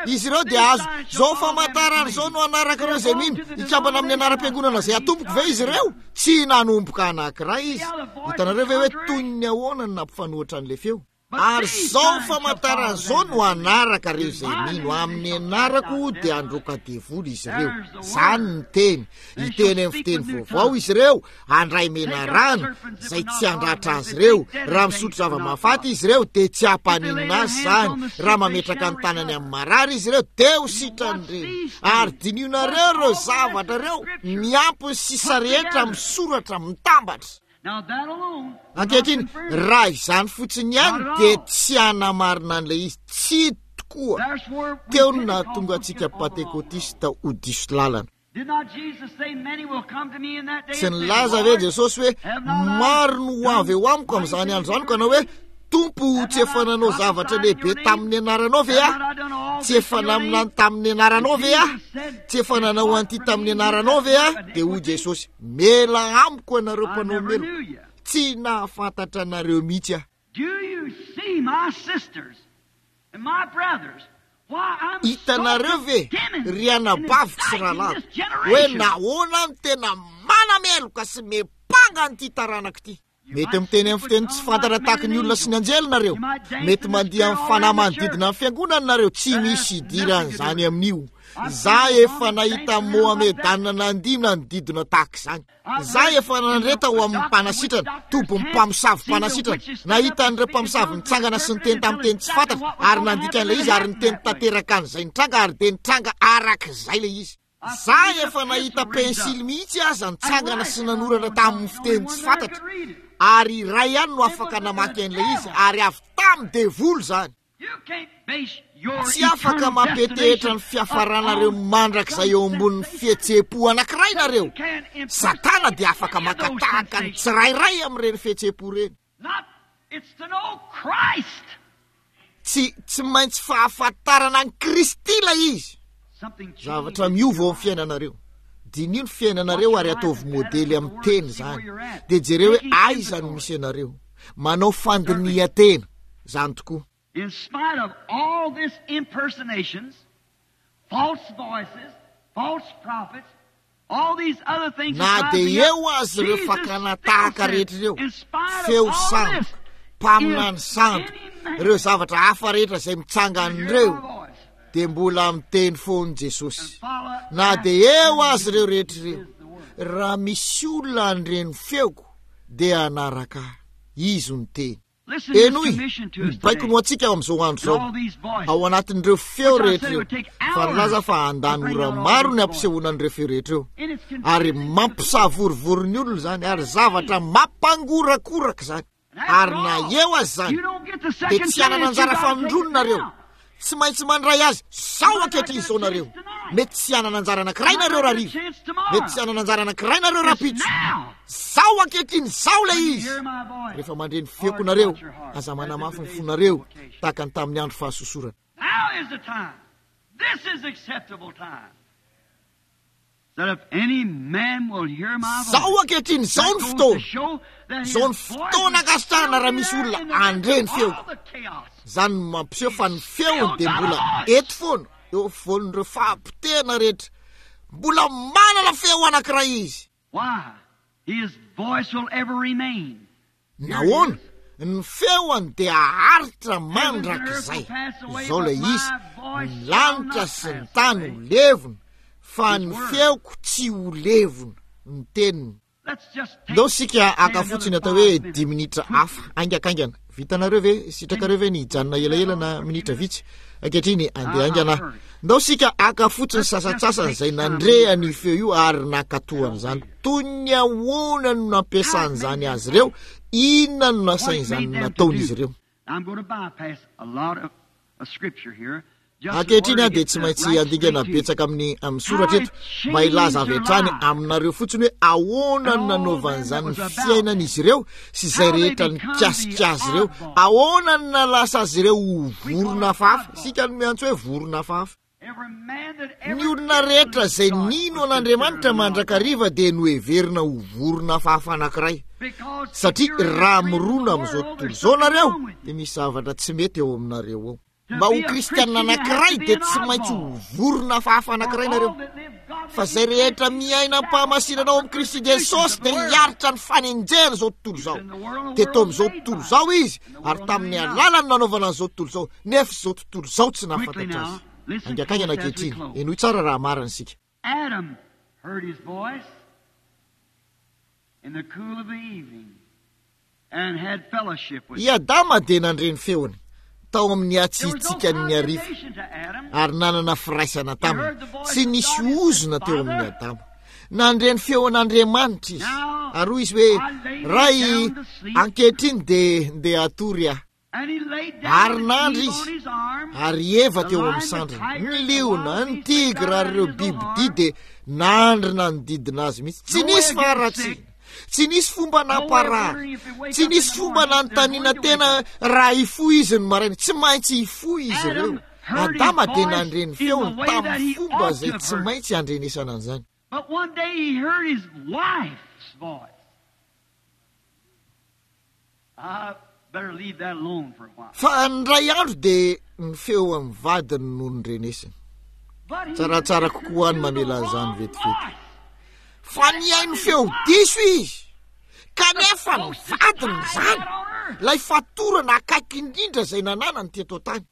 Speaker 1: Izy ireo dia hahazo. Izao famantarana izao no hanarak'ireo izay mino. Hikambana amin'ny anaram-piangonana izay hatomboko ve izy ireo? Tsy nanomboka anankiray izy. Hitanareo ve hoe toy ny ahoana no nampifanohitra an'ilay feo? Ary izao famantarana izao no hanaraka ireo izay mino, Amin'ny anarako dia handroaka devoly izy ireo. Izany ny teny. Hiteny amin'ny fiteny vaovao izy ireo, handray menarana, izay tsy handratra azy ireo. Raha misotro zava-mahafaty izy ireo, dia tsy hampaninona azy izany. Raha mametraka ny tanany amin'ny marary izy ireo, dia ho sitrany ireny. Ary dinihonareo ireo zavatra ireo, miampy ny sisa rehetra amin'ny soratra mitambatra. Ankehitriny, raha izany fotsiny ihany dia tsy hanamarina an'ilay izy. Tsia tokoa. Teo no nahatonga antsika Pantekotista ho diso lalana. Tsy nilaza ve Jesosy hoe, Maro no ho avy eo amiko amin'izany andro izany ka hanao hoe, Tompo, tsy efa nanao zavatra lehibe tamin'ny anaranao ve aho? Tsy efa naminany tamin'ny anaranao ve aho? Tsy efa nanao an'ity tamin'ny anaranao ve aho? Dia hoy Jesosy, Mela amiko ianareo mpanao meloka, tsy nahafantatra anareo mihitsy aho. Hitanareo ve, ry anabaviko sy rahalahiko, hoe nahoana aho no tena manameloka sy miampanga an'ity taranaka ity? Mety miteny amin'ny fiteny tsy fantatra tahaka ny olona sy ny anjely nareo. Mety mandihy amin'ny fanahy manodidina ny fiangonana nareo. Tsy misy idiran'izany amin'io. Za efa nahita Mohamedana nandihy nanodidina tahaka izany. Za efa nandre tao amin'ny mpanasitrana, tobin'ny mpamosavy mpanasitrana. Nahita an'ireo mpamosavy nitsangana sy niteny tamin'ny teny tsy fantatra ary nandika an'ilay izy ary niteny tanteraka an'izay nitranga ary dia nitranga arak'izay ilay izy. Za efa nahita pensily mihitsy aza nitsangana sy nanoratra tamin'ny fiteny tsy fantatra, ary iray ihany no afaka namaky an'ilay izy, ary avy tamin'ny devoly izany. Tsy afaka mampetehitra ny fiafaranareo mandrakizay eo ambonin'ny fihetseham-po anankiray nareo. Satana dia afaka maka tahaka ny tsirairay amin'ireny fihetseham-po ireny. Tsy, tsy maintsy fahafantarana an'i Kristy ilay izy. Zavatra miova ao amin'ny fiainanareo. Diniho ny fiainanareo ary ataovy modely amin'ny teny izany. Dia jereo hoe aiza no misy anareo. Manao fandinihan-tena. Izany tokoa.
Speaker 2: In spite of all this impersonations, false voices, false prophets, all these other things
Speaker 1: Na dia eo aza ireo fakana tahaka rehetra ireo, feo sandoka, mpaminany sandoka, ireo zavatra hafa rehetra izay mitsangana ireo, dia mbola miteny foana Jesosy. Na dia eo aza ireo rehetra ireo, raha misy olona handre ny feoko, dia hanaraka ahy. Izy no teny. Henoy ny baikony ho antsika ao amin'izao andro izao, ao anatin'ireo feo rehetra ireo, fa nilaza fa handany ora maro ny hampisehoana an'ireo feo rehetra ireo, ary mampisavorovoro ny olona izany, ary zavatra mampangorakoraka izany. Ary na eo aza izany, dia tsy hanana anjara fanindroany nareo. Tsy maintsy mandray azy zao ankehitriny izao nareo. Mety tsy hanana anjara anankiray nareo rahariva. Mety tsy hanana anjara anankiray nareo rahampitso. Zao ankehitriny izao ilay izy. Rehefa mandre ny feoko nareo, aza manamafy ny fonareo tahaka ny tamin'ny andro fahasosorana.
Speaker 2: Now is the time. This is acceptable time.
Speaker 1: Izao ankehitriny, izao ny fotoana. Izao ny fotoana ankasitrahana raha misy olona handre ny feoko. Izany no mampiseho fa ny feony dia mbola eto foana, eo afovoan'ireo fahapotehana rehetra. Mbola manana feo anankiray izy. Nahoana? Ny feony dia haharitra mandrakizay. Izao ilay izy, ny lanitra sy ny tany ho levona, fa ny feoko tsy ho levona. Ny teniny. Ndao isika haka fotsiny atao hoe dimy minitra hafa, haingakaingana. Vitanareo ve? Sitrakareo ve ny hijanona elaela na minitra vitsy? Ankehitriny, andeha haingana aho. Ndao isika haka fotsiny sasantsasany izay nandre an'io feo io ary nankatò an'izany. Toy ny ahoana no nampiasan'izany azy ireo? Inona no nasain'izany nataon'izy ireo? Ankehitriny aho dia tsy maintsy handingana betsaka amin'ny amin'ny soratra eto mba hilaza avy hatrany aminareo fotsiny hoe ahoana no nanaovan'izany ny fiainan'izy ireo sy izay rehetra nikasika azy ireo, ahoana no nahalasa azy ireo ho vorona hafahafa. Isika no miantso hoe vorona hafahafa. Ny olona rehetra izay nino an'Andriamanitra mandrakariva dia noheverina ho vorona hafahafa anankiray, satria raha mirona amin'izao tontolo izao nareo dia misy zavatra tsy mety eo aminareo ao. Mba ho kristiana anankiray dia tsy maintsy ho vorona hafahafa anankiray nareo. Fa izay rehetra miaina am-pahamasinana ao amin'i Kristy Jesosy dia hiaritra ny fanenjehana izao tontolo izao. Teto amin'izao tontolo izao izy, ary tamin'ny alalany nanaovana an'izao tontolo izao, nefa izao tontolo izao tsy nahafantatra azy. Haingankaingana ankehitriny, henoy tsara raha marina isika.
Speaker 2: Adam heard his voice in the cool of the evening and had fellowship with
Speaker 1: I Adama dia nandre ny feony tao amin'ny hatsiatsiakan'ny hariva ary nanana firaisana taminy. Tsy nisy ozona teo amin'i Adama. Nandre ny feon'Andriamanitra izy ary hoy izy hoe, Ray, ankehitriny dia ndeha hatory aho. Ary nandry izy, ary Eva teo amin'ny sandriny. Ny liona, ny tigra ary ireo bibidia dia nandry nanodidina azy mihitsy. Tsy nisy faharatsiana, tsy nisy fomba namparary, tsy nisy fomba nanontaniana tena raha hifoha izy ny maraina. Tsy maintsy hifoha izy ireo. Adama dia nandre ny feony tamin'ny fomba izay tsy maintsy handrenesana an'izany.
Speaker 2: But one day he heard his wife's voice.
Speaker 1: Fa indray andro dia ny feo amin'ny vadiny no nindrenesiny. Tsaratsara kokoa ny mamela an'izany vetivety. Fa nihaino feo diso izy, kanefa ny vadiny izany, ilay fatorana akaiky indrindra izay nananany teto an-tany.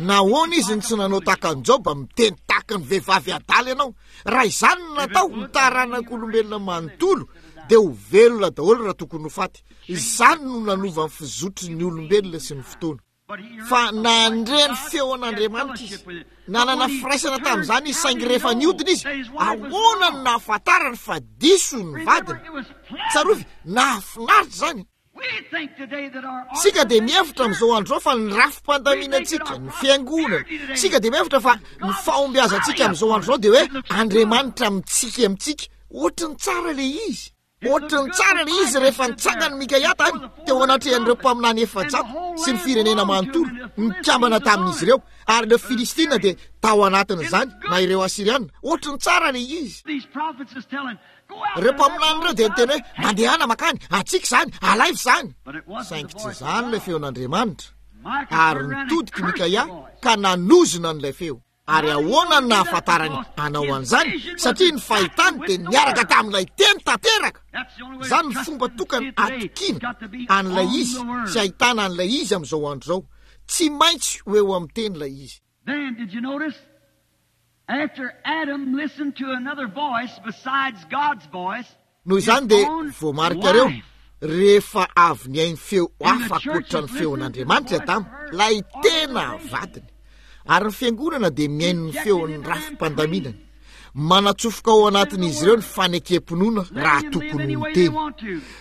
Speaker 1: Nahoana izy no tsy nanao tahaka an'i Joba, miteny tahaka ny vehivavy adala ianao? Raha izany no natao, ny taranak'olombelona manontolo dia ho velona daholo raha tokony ho faty. Izany no nanova ny fizotry ny olombelona sy ny fotoana. Fa nandre ny feon'Andriamanitra izy. Nanana firaisana tamin'izany izy, saingy rehefa nihodina izy, ahoana no nahafantarany fa diso ny vadiny? Tsarovy, nahafinaritra izany. Isika dia mihevitra amin'izao andro izao fa ny rafi-pandaminantsika, ny fiangonana, isika dia mihevitra fa ny fahombiazantsika amin'izao andro izao dia hoe Andriamanitra mitsiky amintsika. Ohatry ny tsara ilay izy. Ohatry ny tsara ilay izy rehefa nitsangana Mikaia tany teo anatrehan'ireo mpaminany 400 sy ny firenena manontolo nikambana tamin'izy ireo, ary ireo Filistina dia tao anatin'izany, na ireo Asyriana. Ohatry ny tsara ilay izy. Ireo mpaminany ireo dia niteny hoe, Mandehana mankany, antsika izany, alaivo izany. Saingy tsy izany ilay feon'Andriamanitra. Ary nitodika i Mikaia ka nanozona an'ilay feo. Ary ahoana no nahafantarany hanao an'izany? Satria ny fahitany dia niaraka tamin'ilay teny tanteraka. Izany no fomba tokana atokiana an'ilay izy sy ahitana an'ilay izy amin'izao andro izao. Tsy maintsy ho eo amin'ny teny ilay izy.
Speaker 2: Then, did you notice? After Adam listened to another voice besides God's voice,
Speaker 1: Noho izany dia voamarikareo, rehefa avy nihaino feo hafa ankoatra ny feon'Andriamanitra i Adama, ilay tena vadiny, ary ny fiangonana dia mihaino ny feon'ny rafi-pandaminany, manatsofoka ao anatin'izy ireo ny fanekem-pinoana raha tokony ho ny teny,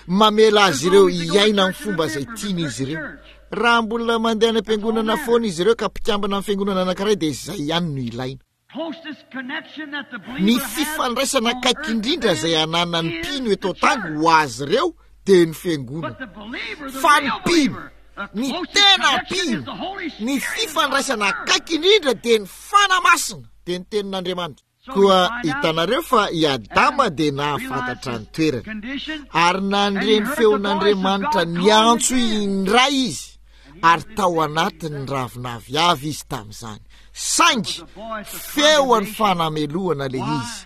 Speaker 1: mamela azy ireo hiaina amin'ny fomba izay tian'izy ireo. Raha mbola mandeha any am-piangonana foana izy ireo ka mpikambana amin'ny fiangonana anankiray dia izay ihany no ilaina. Ny fifandraisana akaiky indrindra izay ananan'ny mpino eto an-tany ho azy ireo dia ny fiangonana. Fa ny mpino, ny tena mpino, ny fifandraisana akaiky indrindra dia ny Fanahy Masina, dia ny Tenin'Andriamanitra. Koa hitanareo fa i Adama dia nahafantatra ny toerany, ary nandre ny feon'Andriamanitra niantso indray izy, ary tao anatin'ny ravin'aviavy izy tamin'izany. Saingy feon'ny fanamelohana ilay izy,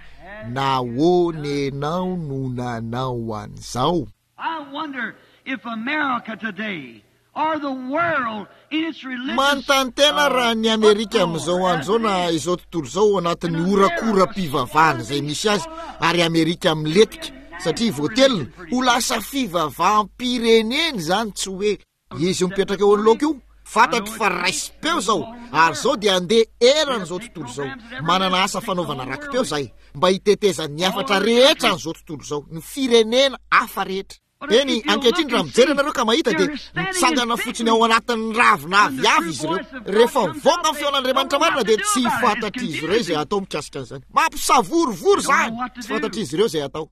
Speaker 1: Nahoana ianao no nanao an'izao?
Speaker 2: I wonder if America today or the world in its religious
Speaker 1: Manontany tena raha ny Amerika amin'izao andro izao na izao tontolo izao ao anatin'ny horakoram-pivavahana izay misy azy ary Amerika milentika satria voatelina ho lasa fivavaham-pirenena izany tsy ho ela. Izy io mipetraka eo anoloako io, fantatro fa raisim-peo izao ary izao dia handeha eran'izao tontolo izao. Manana asa fanaovana raki-peo izahay mba hitetezan'ny hafatra rehetra an'izao tontolo izao, ny firenena hafa rehetra. Eny, ankehitriny raha mijery ianareo ka mahita dia mitsangana fotsiny ao anatin'ny ravina aviavy izy ireo. Rehefa mivoaka ny feon'Andriamanitra marina dia tsy fantatr'izy ireo izay hatao mikasika an'izany. Mampisavorovoro izany! Tsy fantatr'izy ireo izay hatao.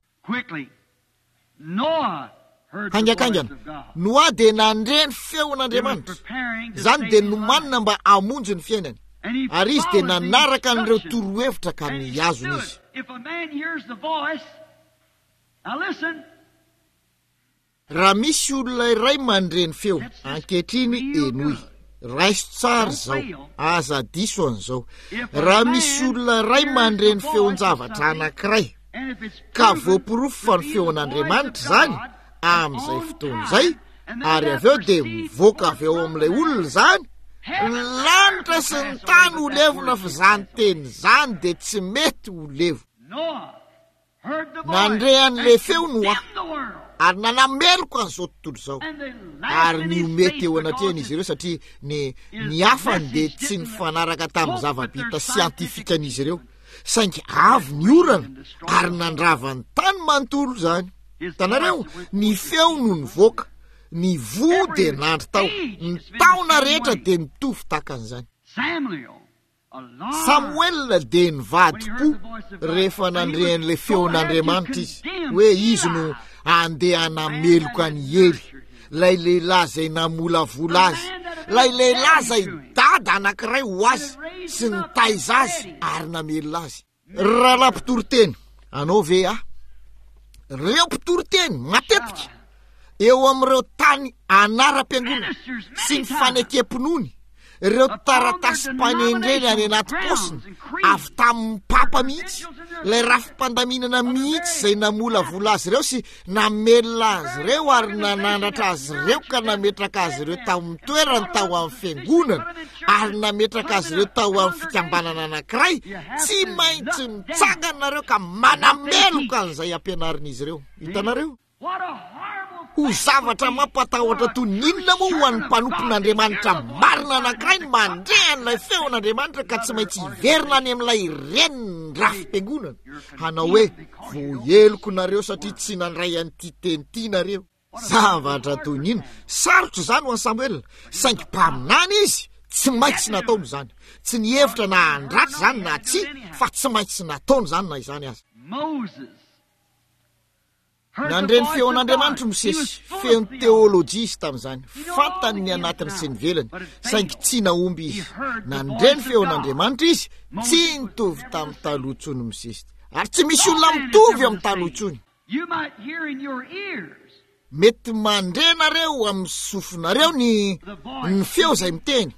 Speaker 1: Haingankaingana, Noa dia nandre ny feon'Andriamanitra. Izany dia nomanina mba hamonjy ny fiainany. Ary izy dia nanaraka an'ireo torohevitra ka nihazona izy. Raha misy olona iray mandre ny feo, ankehitriny henoy. Raiso tsara izao, aza diso an'izao. Raha misy olona iray mandre ny feon-javatra anankiray, ka voaporofo fa ny feon'Andriamanitra izany, amin'izay fotoana izay, ary avy eo dia mivoaka avy ao amin'ilay olona izany, ny lanitra sy ny tany ho levona fa izany teny izany dia tsy mety ho levona. Nandre an'ilay feo Noa ary nanameloka an'izao tontolo izao, ary nihomehy teo anatrehany izy ireo satria ny ny hafany dia tsy nifanaraka tamin'ny zava-bita siantifikan'izy ireo. Saingy avy ny orana ary nandrava ny tany manontolo izany. Hitanareo, ny feo no nivoaka, ny voa dia nandry tao, ny taona rehetra dia nitovy tahaka an'izany. Samoela dia nivadi-po rehefa nandre an'ilay feon'Andriamanitra izy, hoe izy no handeha hanameloka an'i Ely, ilay lehilahy izay namolavola azy, ilay lehilahy izay dada anankiray ho azy sy nitaiza azy ary namelona azy. Rahalahy mpitoriteny, anao ve aho? Reo mpitoriteny matetika eo amin'ireo tany anaram-piangonana sy ny fanekem-pinoany, ireo taratasim-panendrena any anaty paosiny avy tamin'ny papa mihitsy, ilay rafi-pandaminana mihitsy izay namolavola azy ireo sy namelona azy ireo ary nanandratra azy ireo ka nametraka azy ireo tamin'ny toerany tao amin'ny fiangonana ary nametraka azy ireo tao amin'ny fikambanana anankiray, tsy maintsy mitsangana nareo ka manameloka an'izay ampianarin'izy ireo. Hitanareo? Ho zavatra mampatahotra toy ny inona moa ho an'ny mpanompon'Andriamanitra marina anankiray ny mandre an'ilay feon'Andriamanitra ka tsy maintsy hiverina any amin'ilay renin'ny rafi-piangonana hanao hoe, Voaheloko nareo satria tsy nandray an'ity teny ity nareo. Zavatra toy ny inona? Sarotra izany ho an'i Samoela, saingy mpaminany izy, tsy maintsy nataony izany. Tsy nihevitra na handratra izany na tsia, fa tsy maintsy nataony izany na izany aza. Nandre ny feon'Andriamanitra i Mosesy, feno teolojia izy tamin'izany, fantany ny anatiny sy ny ivelany, saingy tsy nahomby izy. Nandre ny feon'Andriamanitra izy, tsy nitovy tamin'ny taloha intsony Mosesy, ary tsy misy olona mitovy amin'ny taloha intsony. Mety mandre nareo amin'ny sofinareo ny ny feo izay miteny,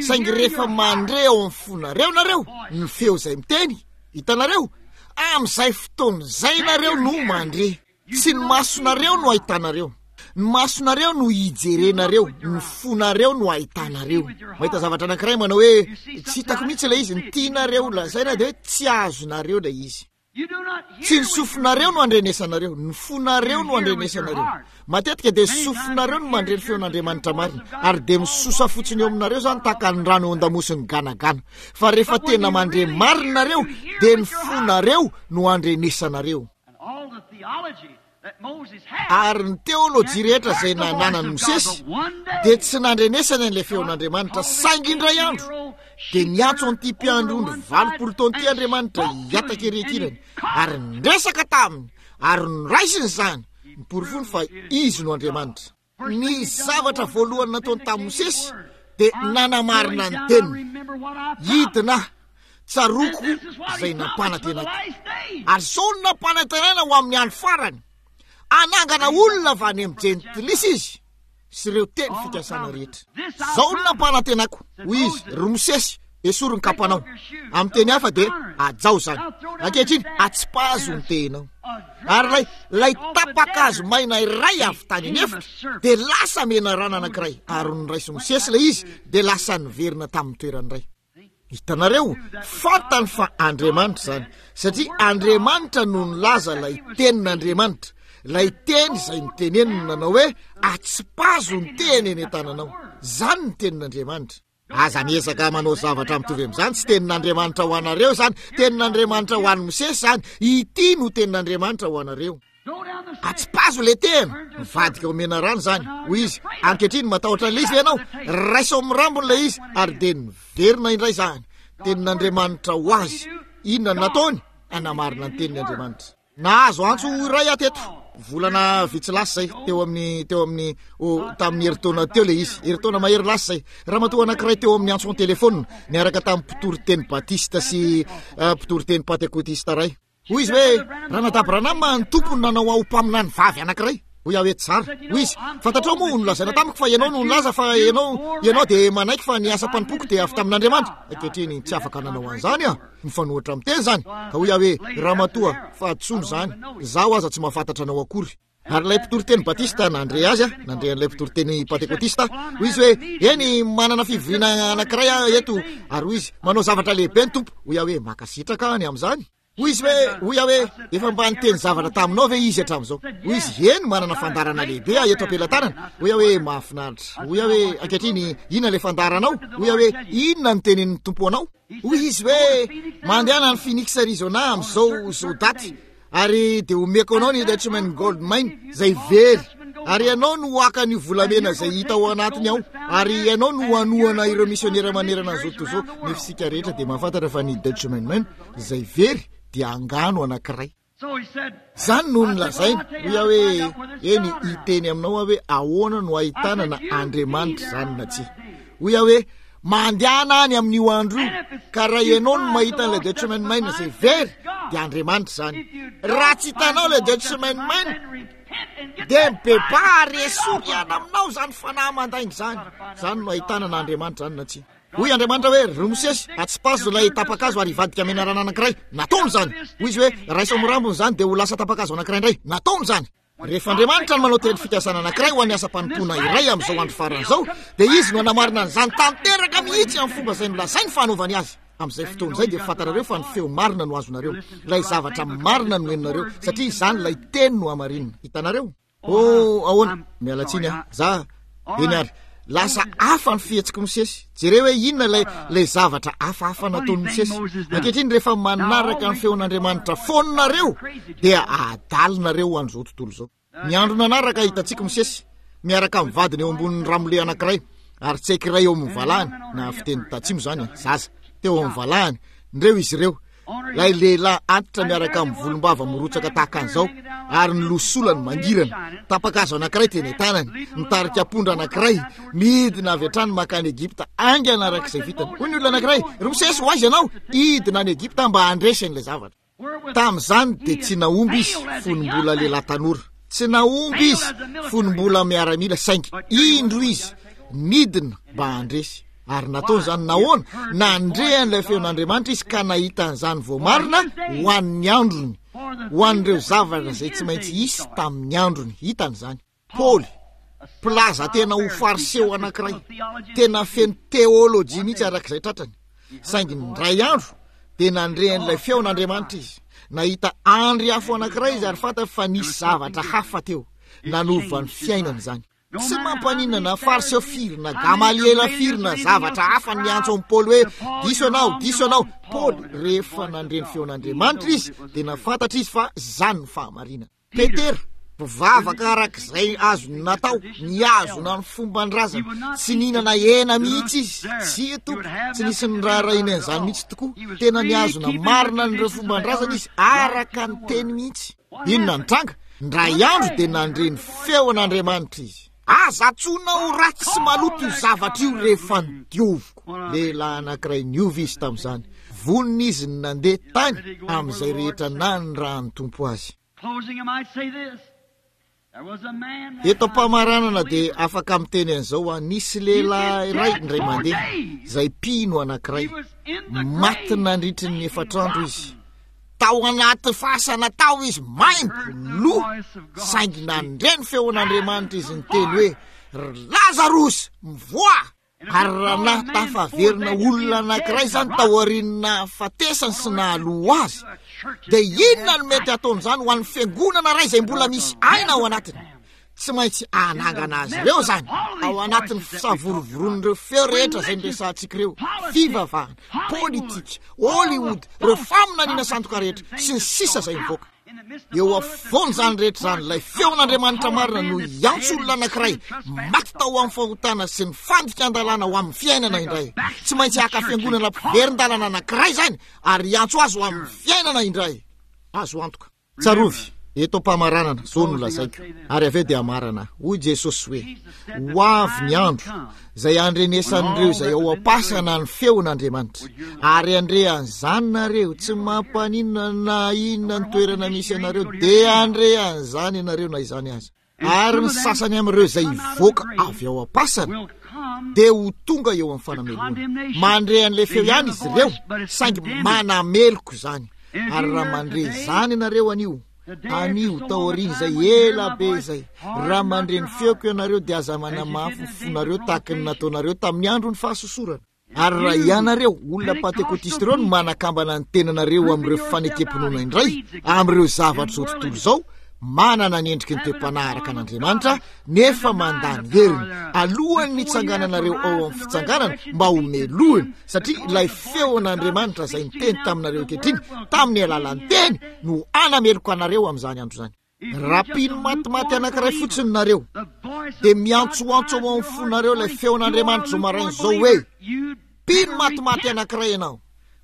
Speaker 1: saingy rehefa mandre ao amin'ny fonareo nareo ny feo izay miteny, hitanareo, amin'izay fotoana izay nareo no mandre. Tsy ny masonareo no ahitanareo, ny masonareo no hijerenareo, ny fonareo no ahitanareo. Mahita zavatra anankiray manao hoe tsy hitako mihitsy ilay izy, ny tianareo lazaina dia hoe tsy azonareo ilay izy. Tsy ny sofinareo no andrenesanareo, ny fonareo no andrenesanareo. Matetika dia sofinareo no mandre ny feon'Andriamanitra marina, ary dia misosa fotsiny eo aminareo izany tahaka ny rano eo an-damosin'ny ganagana. Fa rehefa tena mandre marina nareo, dia ny fonareo no andrenesanareo. Ary ny teolojia rehetra izay nananan'i Mosesy dia tsy nandrenesany an'ilay feon'Andriamanitra, saingy indray andro dia niantso an'ity mpiandry ondry 80 taona ity Andriamanitra hihataka ery ankilany, ary niresaka taminy, ary noraisiny izany, niporofoany fa Izy no Andriamanitra. Ny zavatra voalohany nataony tamin'i Mosesy dia nanamarina ny teniny. Hidina aho, tsaroako izay nampanantenaiko. Ary izao no nampanantenaina ho amin'ny andro farany. Hanangana olona avy any amin'ny jentilisa izy sy ireo teny fikasana rehetra. Izao no nampanantenako, hoy izy, ry Mosesy, Esory ny kapanao. Amin'ny teny hafa dia hajao izany. Ankehitriny, atsipazo ny tehinao. Ary ilay, ilay tapa-kazo maina iray avy tany an'efitra dia lasa menarana anankiray, ary noraisin'i Mosesy ilay izy dia lasa niverina tamin'ny toerany indray. Hitanareo, fantany fa Andriamanitra izany, satria Andriamanitra no nilaza ilay tenin'Andriamanitra, ilay teny izay noteneniny nanao hoe, atsipazo ny tehiny eny an-tananao. Izany ny tenin'Andriamanitra. Aza miezaka manao zavatra mitovy amin'izany, tsy tenin'Andriamanitra ho anareo izany, tenin'Andriamanitra ho an'i Mosesy izany, ity no tenin'Andriamanitra ho anareo. Atsipazo le tehina, mivadika ho menarana izany, hoy izy, ankehitriny matahotra an'ilay izy ve ianao? Raiso amin'ny rambony ilay izy, ary dia niverina indray izany, tenin'Andriamanitra ho azy, inona no nataony? Hanamarina ny teniny Andriamanitra. Nahazo antso iray aho teto, volana vitsy lasa izay, teo amin'ny, teo amin'ny, oh, tamin'ny herintaona teo ilay izy, herintaona mahery lasa izay. Ramatoa anankiray teo amin'ny antso an-telefona, niaraka tamin'ny mpitoriteny batista sy uh, mpitoriteny pantekotista iray. Hoy izy hoe, Ranadahy Branham, ny Tompo no nanao ahy ho mpaminany vavy anankiray. Hoy aho hoe, Tsara. Hoy izy, Fantatrao moa, nolazaina tamiko fa ianao no nilaza fa ianao, ianao dia manaiky fa ny asam-panompoako dia avy tamin'Andriamanitra. Ankehitriny, tsy afaka nanao an'izany aho. Mifanohitra amin'ny teny izany. Ka hoy aho hoe, Ramatoa, fahadisoana izany. Izaho aza tsy mahafantatra anao akory. Ary ilay mpitoriteny batista nandre azy, nandre an'ilay mpitoriteny pantekotista, hoy izy hoe, Eny, manana fivoriana anankiray aho eto. Ary hoy izy, Manao zavatra lehibe ny Tompo. Hoy aho hoe, Mankasitraka aho ny amin'izany. Hoy izy hoe, hoy aho hoe, Efa mba niteny zavatra taminao ve izy hatramin'izao? Hoy izy, Eny, manana fandaharana lehibe aho eto am-pelatanana. Hoy aho hoe, Mahafinaritra. Hoy aho hoe, Ankehitriny, inona ilay fandaharanao? Hoy aho hoe, Inona no tenenin'ny Tompo anao? Hoy izy hoe, Mandehana any Phoenix, Arizona amin'izao izao daty, ary dia omeko anao ny Dutchman Gold Mine, izay very. Ary ianao no haka an'io volamena izay hita ao anatiny ao, ary ianao no hanohana ireo misionera manerana an'izao tontolo izao. Nefa isika rehetra dia mahafantatra fa ny Dutchman Mine izay very dia angano anankiray. Izany no nolazainy. Hoy aho hoe, Eny, hiteny aminao aho hoe ahoana no ahitana na Andriamanitra izany na tsia. Hoy aho hoe, Mandehana any amin'io andro io, ka raha ianao no mahita an'ilay Dutchman Mine izay very, dia Andriamanitra izany. Raha tsy hitanao ilay Dutchman Mine, dia mibebaha ary esory hiala aminao izany fanahy mandainga izany. Izany no ahitana na Andriamanitra izany na tsia. Hoy Andriamanitra hoe, Ry Mosesy, atsipazo ilay tapa-kazo ary hivadika menarana anankiray. Nataony izany. Hoy izy hoe, Raiso amin'ny rambony izany dia ho lasa tapa-kazo anankiray indray. Nataony izany. Rehefa Andriamanitra no manao teny fikasana anankiray ho an'ny asam-panompoana iray amin'izao andro farany izao, dia Izy no hanamarina an'izany tanteraka mihitsy amin'ny fomba izay nolazainy fa hanaovany azy. Amin'izay fotoana izay dia fantarareo fa ny feo marina no azonareo. Ilay zavatra marina no henonareo, satria izany ilay teny no hamarinina. Hitanareo? Oh, ahoana? Miala tsiny aho. Za, eny ary. Lasa hafa ny fihetsik'i Mosesy. Jereo hoe inona ilay, ilay zavatra hafahafa nataon'i Mosesy. Ankehitriny rehefa manaraka ny feon'Andriamanitra foana nareo, dia adalinareo ho an'izao tontolo izao. Ny andro nanaraka hitantsika Mosesy, miaraka amin'ny vadiny eo ambonin'ny ramole anankiray, ary tseky iray eo amin'ny valahany, na fiteny tatsimo izany, zaza, teo amin'ny valahany, ndreo izy ireo. Ilay lehilahy antitra miaraka amin'ny volombava mirotsaka tahaka an'izao, ary ny losolany mangirana, tapa-kazo anankiray teny an-tanany, mitarika ampondra anankiray, midina avy hatrany mankany Egypta, haingana araka izay vitany. Hoy ny olona anankiray, Ry Mosesy, ho aiza ianao? Hidina any Egypta mba handresy an'ilay zavatra. Tamin'izany dia tsy nahomby izy fony mbola lehilahy tanora. Tsy nahomby izy fony mbola miaramila, saingy indro izy nidina mba handresy. Ary nataony izany nahoana? Nandre an'ilay feon'Andriamanitra izy ka nahita an'izany voamarina ho an'ny androny, ho an'ireo zavatra izay tsy maintsy hisy tamin'ny androny. Hitany izany. Paoly, mpilaza tena ho fariseo anankiray, tena feno teolojia mihitsy arak'izay tratrany. Saingy indray andro dia nandre an'ilay feon'Andriamanitra izy. Nahita andry afo anankiray izy ary fantany fa nisy zavatra hafa teo. Nanova ny fiainany izany. Tsy mampaninona na Fariseo firy na Gamaliela firy na zavatra hafa niantso an'i Paoly hoe, Diso ianao, diso ianao. Paoly, rehefa nandre ny feon'Andriamanitra izy, dia nahafantatra izy fa izany no fahamarinana. Petera, mpivavaka araka izay azony natao, nihazona ny fomban-drazana, tsy nihinana hena mihitsy izy. Tsia, tompoko, tsy nisy niraharahiany an'izany mihitsy tokoa. Tena nihazona marina an'ireo fomban-drazana izy, araka ny teny mihitsy. Inona no tranga? Indray andro dia nandre ny feon'Andriamanitra izy. Aza antsoina ho ratsy sy maloto io zavatra io rehefa nodioviko. Lehilahy anankiray niova izy tamin'izany. Vonona izy ny nandeha tany amin'izay rehetra nanirahan'ny Tompo azy. Eto am-pamaranana dia afaka miteny an'izao aho, nisy lehilahy iray indray mandeha, izay mpino anankiray, maty nandritry ny efatra andro izy. Tao anaty fasana tao izy, maimbo, lo, saingy nandre ny feon'Andriamanitra izy niteny hoe, Ry Lazarosy, mivoaha! Ary raha nahatafaverina olona anankiray izany taorian'ny nahafatesany sy nahaloa azy, dia inona no mety hataon'izany ho an'ny fiangonana iray izay mbola misy aina ao anatiny? Tsy maintsy hanangana azy ireo izany ao anatin'ny fisavorovoroan'ireo feo rehetra izay noresahantsika ireo, fivavahana, politika, Hollywood, ireo faminaniana sandoka rehetra, sy ny sisa izay mivoaka. Eo afovoan'izany rehetra izany, ilay feon'Andriamanitra marina no hiantso olona anankiray maty tao amin'ny fahotana sy ny fandikan-dalàna ho amin'ny fiainana indray. Tsy maintsy haka fiangonana mpiverin-dalana anankiray izany ary hiantso azy ho amin'ny fiainana indray. Azo antoka. Tsarovy, eto am-pamaranana, izao no lazaiko, ary avy eo dia hamarana aho. Hoy Jesosy hoe, Ho avy ny andro izay handrenesan'ireo izay ao am-pasana ny feon'Andriamanitra, ary handre an'izany nareo, tsy mampaninona na inona ny toerana misy anareo, dia handre an'izany ianareo na izany aza. Ary ny sasany amin'ireo izay hivoaka avy ao am-pasana dia ho tonga eo amin'ny fanamelohana. Mandre an'ilay feo ihany izy ireo, saingy manameloka izany. Ary raha mandre izany ianareo anio, anio, taorian'izay ela be izay, raha mandre ny feoko ianareo dia aza manamafy ny fonareo tahaka ny nataonareo tamin'ny andron'ny fahasosorana. Ary raha ianareo, olona Pantekotista ireo, no manakambana ny tenanareo amin'ireo fanekem-pinoana indray, amin'ireo zavatr'izao tontolo izao, manana ny endriky ny toe-panahy araka an'Andriamanitra, nefa mandà ny heriny, alohan'ny hitsangananareo ao amin'ny fitsanganana mba ho melohina, satria ilay feon'Andriamanitra izay niteny taminareo ankehitriny, tamin'ny alalan'ny Teny, no hanameloka anareo amin'izany andro izany. Raha mpino matimaty anankiray fotsiny nareo, dia miantsoantso ao amin'ny fonareo ilay feon'Andriamanitra izao maraina izao hoe, Mpino matimaty anankiray ianao.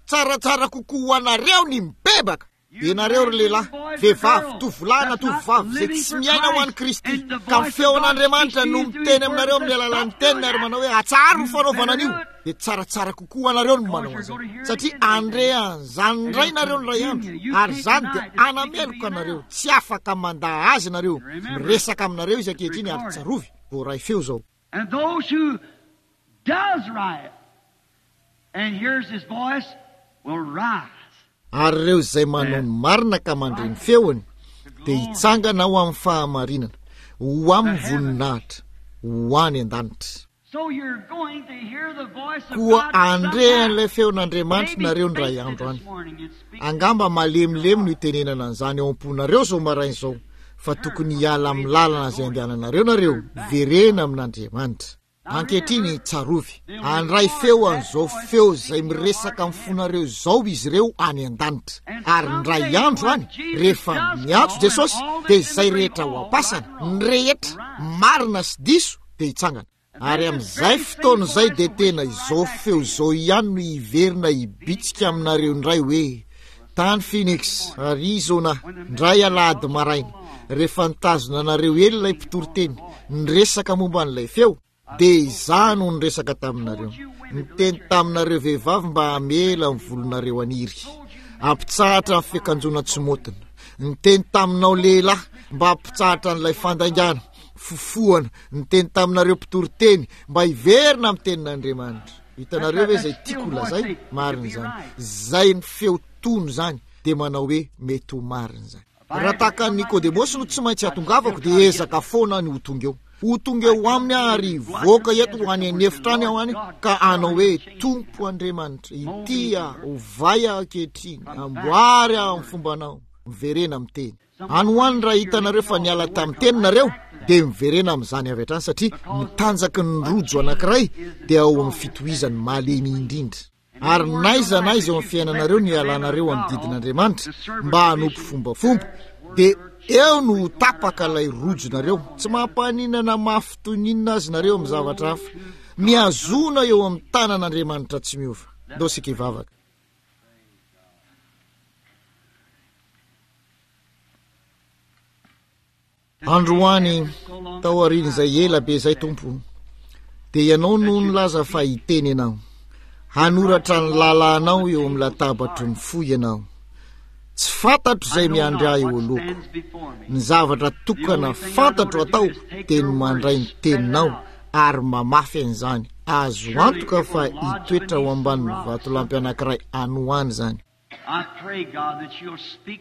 Speaker 1: Tsaratsara kokoa ho anareo ny mibebaka. Ianareo ry lehilahy, vehivavy, tovolahy na tovovavy izay tsy miaina ho an'i Kristy, ka ny feon'Andriamanitra no miteny aminareo amin'ny alalan'ny teniny ary manao hoe, Atsaharo ny fanaovana an'io. dia tsaratsara kokoa ho anareo ny manao an'izany, satria handre an'izany indray nareo indray andro, ary izany dia hanameloka anareo, tsy afaka mandà azy nareo, miresaka aminareo izy ankehitriny, ary tsarovy, voaray feo izao.
Speaker 2: And those who does right and hears his voice will rise.
Speaker 1: Ary ireo izay manao ny marina ka mandre ny feony dia hitsangana ho amin'ny fahamarinana, ho amin'ny voninahitra, ho any an-danitra. Koa handre an'ilay feon'Andriamanitra nareo indray andro any. Angamba malemilemy no itenenana an'izany ao am-ponareo izao maraina izao, fa tokony hiala amin'ny lalana izay andehananareo nareo, miverena amin'Andriamanitra. Ankehitriny, tsarovy, handray feo an'izao feo izay miresaka amin'ny fonareo izao izy ireo any an-danitra. Ary indray andro any, rehefa miantso Jesosy, dia izay rehetra ao am-pasana, ny rehetra, marina sy diso, dia hitsangana. Ary amin'izay fotoana izay dia tena izao feo izao ihany no hiverina hibitsika aminareo indray hoe, Tany Phoenix, Arizona, indray alahady maraina, rehefa nitazona anareo ela ilay mpitoriteny, niresaka momba an'ilay feo, dia izaho no niresaka taminareo. Niteny taminareo vehivavy mba hamela ny volonareo haniry, hampitsahatra ny fiakanjoana tsy maotina. Niteny taminao lehilahy mba hampitsahatra an'ilay fandaingana. Fofohana, niteny taminareo mpitory teny mba hiverina amin'ny tenin'Andriamanitra. Hitanareo ve izay tiako ho lazaina? Marina izany. Izay ny feo tony izany dia manao hoe mety ho marina izany. Raha tahaka an'i Nikodemosy no tsy maintsy hatongavako dia ezaka foana ny ho tonga eo. Ho tonga eo aminy aho ary hivoaka eto ho any an'efitra any aho any ka hanao hoe Tompo Andriamanitra, ity aho, ovay aho ankehitriny, amboary aho amin'ny fombanao. Miverena amin'ny teny. Any ho any raha hitanareo fa niala tamin'ny teny nareo dia miverena amin'izany avy hatrany satria ny tanjaky ny rojo anankiray dia ao amin'ny fitohizany malemy indrindra. Ary n'aiza n'aiza eo amin'ny fiainanareo no hialanareo amin'ny didin'Andriamanitra mba hanompo fombafomba dia eo no ho tapaka ilay rojonareo. Tsy mampaninona na mafy toy ny inona azy nareo amin'ny zavatra hafa. Mihazona eo amin'ny tanan'Andriamanitra tsy miova. Ndao isika hivavaka. Androany, taorian'izay ela be izay, Tompo, dia Ianao no nilaza fa hiteny Ianao. Hanoratra ny lalànao eo amin'ny latabatry ny fo Ianao. Tsy fantatro izay miandry ahy eo alohako. Ny zavatra tokana fantatro atao dia ny mandray ny teninao ary mamafy an'izany. Azo antoka fa hitoetra ao ambanin'ny vatolampy anankiray any ho any izany.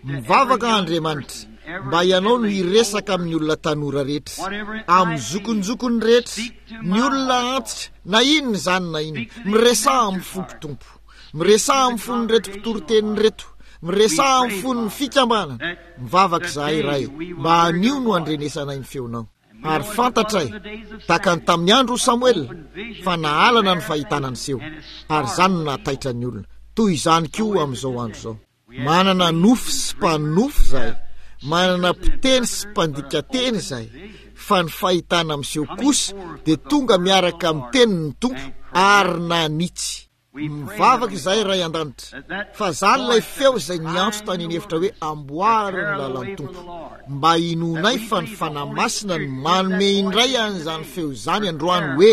Speaker 1: Mivavaka aho Andriamanitra mba Ianao no hiresaka amin'ny olona tanora rehetra, amin'ny zokinjokiny rehetra, ny olona antitra, na inona izany na inona. Miresaha amin'ny foko Tompo. Miresaha amin'ny fon'ireto mpitoriteny ireto. Miresaha amin'ny fon'ny fikambanana. Mivavaka izahay Ray mba anio no handrenesanay ny feonao. Ary fantatray, tahaka ny tamin'ny andro Samoela, fa nahalana ny fahitana niseho, ary izany no nahataitra ny olona. Toy izany koa amin'izao andro izao. Manana nofy sy mpanonofy izahay, manana mpiteny sy mpandika teny izahay, fa ny fahitana miseho kosa dia tonga miaraka amin'ny tenin'ny Tompo ary nanitsy. Mivavaka izahay Ray an-danitra fa zany ilay feo izay niantso tany an'efitra hoe amboary ny lalan'ny Tompo mba hinoanay fa ny Fanahy Masina no manome indray an'izany feo izany androany hoe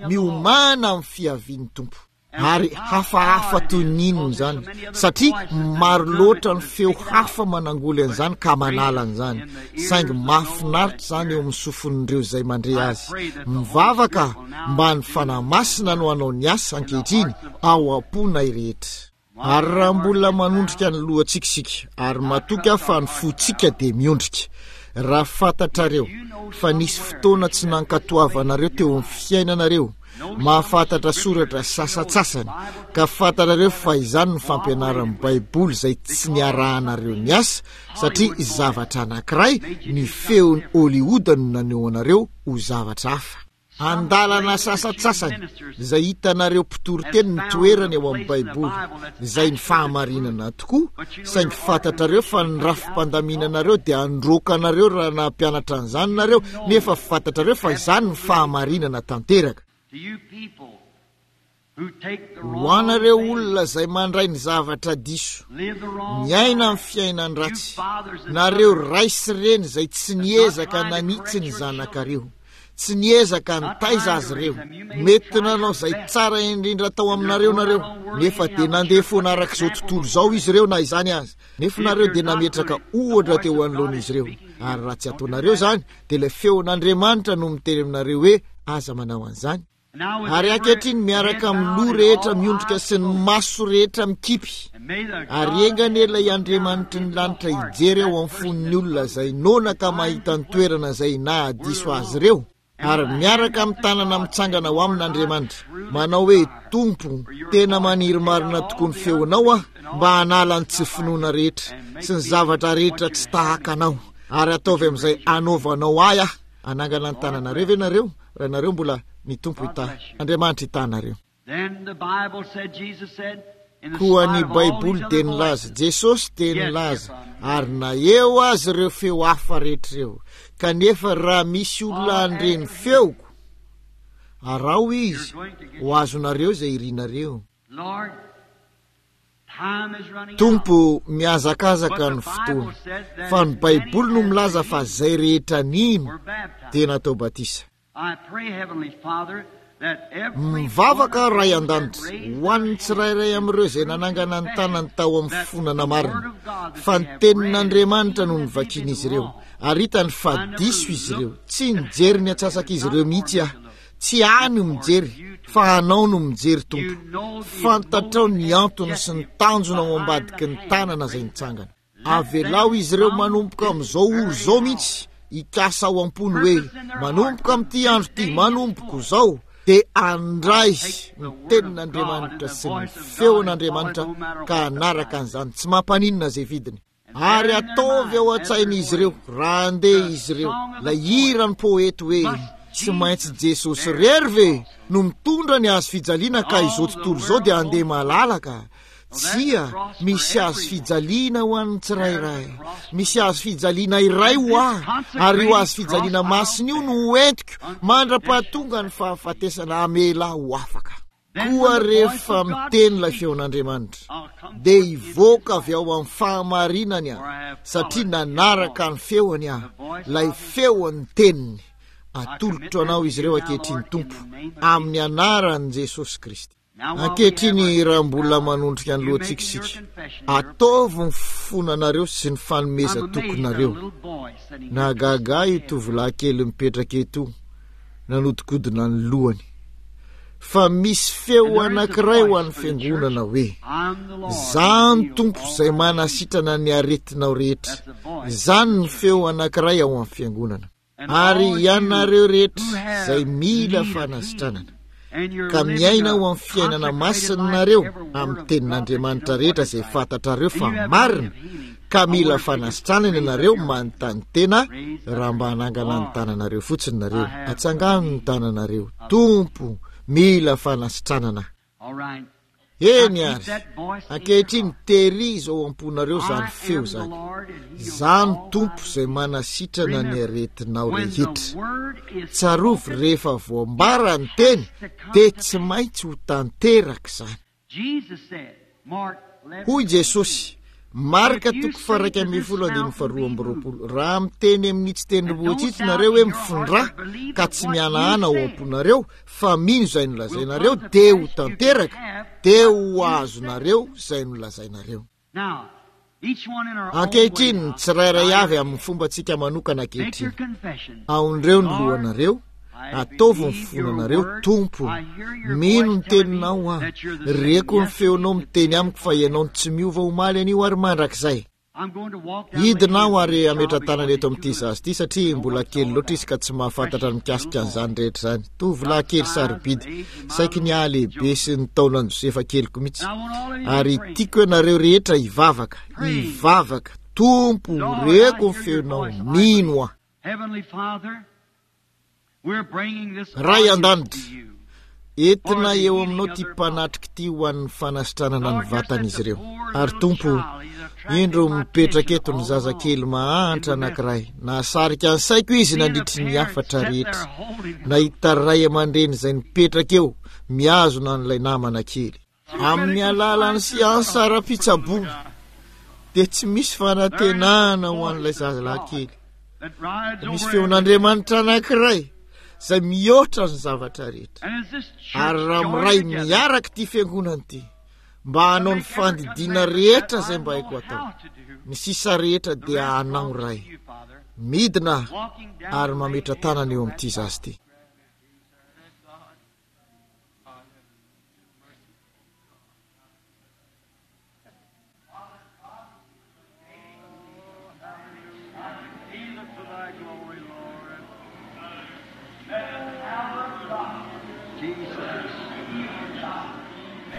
Speaker 1: miomàna amin'ny fiavian'ny Tompo. Ary hafahafa toy ny inona izany, satria maro loatra ny feo hafa manangoly an'izany ka manala an'izany. Saingy mahafinaritra izany eo amin'ny sofin'ireo izay mandre azy. Mivavaka aho mba ny Fanahy Masina no hanao ny asa ankehitriny ao am-ponay rehetra. Ary raha mbola manondrika ny lohantsika isika, ary matoky aho fa ny fontsika dia miondrika, raha fantatrareo fa nisy fotoana tsy nankatoavanareo teo amin'ny fiainanareo, mahafantatra soratra sasantsasany, ka fantatrareo fa izany no fampianaran'ny Baiboly izay tsy niarahanareo niasa, satria zavatra anankiray ny feon'i Hollywood no naneho anareo ho zavatra hafa. Andalana sasantsasany izay hitanareo mpitoriteny ny toerany ao amin'ny Baiboly, izay ny fahamarinana tokoa, saingy fantatrareo fa ny rafi-pandaminanareo dia handroaka anareo raha nampianatra an'izany nareo, nefa fantatrareo fa izany ny fahamarinana tanteraka. Ho anareo olona izay mandray ny zavatra diso, miaina amin'ny fiainan-dratsy, nareo ray sy reny izay tsy niezaka nanitsy ny zanakareo, Tsy niezaka nitaiza azy ireo. Mety nanao izay tsara indrindra tao aminareo nareo, nefa dia nandeha foana araka izao tontolo izao izy ireo na izany aza. Nefa nareo dia nametraka ohatra teo anoloan'izy ireo. Ary raha tsy ataonareo izany, dia ilay feon'Andriamanitra no miteny aminareo hoe aza manao an'izany. Ary ankehitriny miaraka amin'ny loha rehetra miondrika sy ny maso rehetra mikipy, ary enga anie ilay Andriamanitry ny lanitra hijery ao amin'ny fon'ny olona izay noana ka mahita ny toerana izay nahadiso azy ireo, ary miaraka amin'ny tanana mitsangana ho amin'Andriamanitra, manao hoe, Tompo, tena maniry marina tokoa ny feonao aho mba hanala ny tsy finoana rehetra sy ny zavatra rehetra tsy tahaka anao, ary ataovy amin'izay anaovanao ahy aho. Hanangana ny tananareo ve nareo? Raha nareo mbola, ny Tompo hitahy. Andriamanitra hitahy anareo. Koa ny Baiboly dia nilaza, Jesosy dia nilaza, ary na eo aza ireo feo hafa rehetra ireo, kanefa raha misy olona handre ny feoko, araho izy, ho azonareo izay irinareo. Tompo, mihazakazaka ny fotoana, fa ny Baiboly no milaza fa izay rehetra nino dia natao batisa. Mivavaka aho, Ray An-danitra, ho an'ny tsirairay amin'ireo izay nanangana ny tanany tao amin'ny fonana marina, fa ny Tenin'Andriamanitra no novakian'izy ireo, ary hitany fa diso izy ireo. Tsy nijery ny antsasak'izy ireo mihitsy aho. Tsy ahy no mijery fa Anao no mijery Tompo. Fantatrao ny antony sy ny tanjona ao ambadiky ny tanana izay nitsangana. Avelao izy ireo manomboka amin'izao ora izao mihitsy hikasa ao am-pony hoe manomboka amin'ity andro ity, manomboka izao, dia handray ny tenin'Andriamanitra sy ny feon'Andriamanitra ka hanaraka an'izany tsy mampaninona izay vidiny. Ary ataovy ao an-tsain'izy ireo, raha handeha izy ireo, ilay hiran'ny poety hoe, Tsy maintsy Jesosy irery ve no mitondra ny hazo fijaliana ka izao tontolo izao dia handeha malalaka? Tsia, misy hazo fijaliana ho an'ny tsirairay. Misy hazo fijaliana iray ho ahy, ary io hazo fijaliana masina io no ho entiko mandra-pahatonga ny fahafatesana hamela ahy ho afaka. Koa rehefa miteny ilay feon'Andriamanitra, dia hivoaka avy ao amin'ny fahamarinany aho, satria nanaraka ny feony aho, ilay feon'ny teniny. Atolotro anao izy ireo ankehitriny, Tompo, amin'ny anaran'i Jesosy Kristy. Ankehitriny, raha mbola manondrika ny lohantsika isika, ataovy ny fonanareo sy ny fanomezan-tokinareo. Nahagaga ahy io tovolahy kely mipetraka eto io. nanodikodina ny lohany. Fa misy feo anankiray ho an'ny fiangonana hoe, Izaho ny Tompo izay manasitrana ny aretinao rehetra. Izany ny feo anankiray ao amin'ny fiangonana. Ary ianareo rehetra izay mila fanasitranana, ka miaina ao amin'ny fiainana masina nareo amin'ny tenin'Andriamanitra rehetra izay fantatrareo fa marina, ka mila fanasitranana ianareo manontany tena raha mba hanangana ny tananareo fotsiny nareo atsangano ny tananareo tompo mila fanasitranana eny ary ankehitriny terizo ao am-ponareo zany feo zany zany tompo izay manasitrana ny aretinao rehetra tsarovy rehefa voambara ny teny de tsy maintsy ho tanteraka izany Hoy Jesosy, Marka toko faha-11 andininy faha-22, Raha miteny amin'itsy tendrombohitra itsy nareo hoe mifindrà, ka tsy mihanahana ao am-ponareo, fa mino izay nolazainareo, dia ho tanteraka, dia ho azonareo izay nolazainareo. Ankehitriny, ny tsirairay avy amin'ny fombantsika manokana ankehitriny. Aondreo ny lohanareo, ataovy ny fonanareo, Tompo, mino ny teninao aho. Reko ny feonao miteny amiko fa ianao no tsy miova omaly anio ary mandrakizay. Hidina aho ary hametra-tanana eto amin'ity zaza ity satria mbola kely loatra izy ka tsy mahafantatra ny mikasika an'izany rehetra izany. Tovolahy kely sarobidy, saiky ny hahalehibe sy ny taonan'i Josefa keliko mihitsy. Ary tiako ianareo rehetra hivavaka, hivavaka, Tompo, reko ny feonao, mino aho. Ray an-danitra, entina eo aminao ity mpanatrika ity ho an'ny fanasitranana ny vatan'izy ireo. Ary Tompo, indro mipetraka eto ny zazakely mahantra anankiray. Nahasarika ny saiko izy nandritry ny hafatra rehetra. Nahita ray aman-dreny izay nipetraka eo, mihazona an'ilay namana kely. Amin'ny alalan'ny siansa ara-pitsaboana dia tsy misy fanantenana ho an'ilay zazalahy kely. Misy feon'Andriamanitra anankiray izay mihoatra ny zavatra rehetra. Ary raha miray miaraka ity fiangonana ity mba hanao ny fandidiana rehetra izay mba haiko atao, ny sisa rehetra dia hanao Ray. Midina ary mametra-tanana eo amin'ity zaza ity.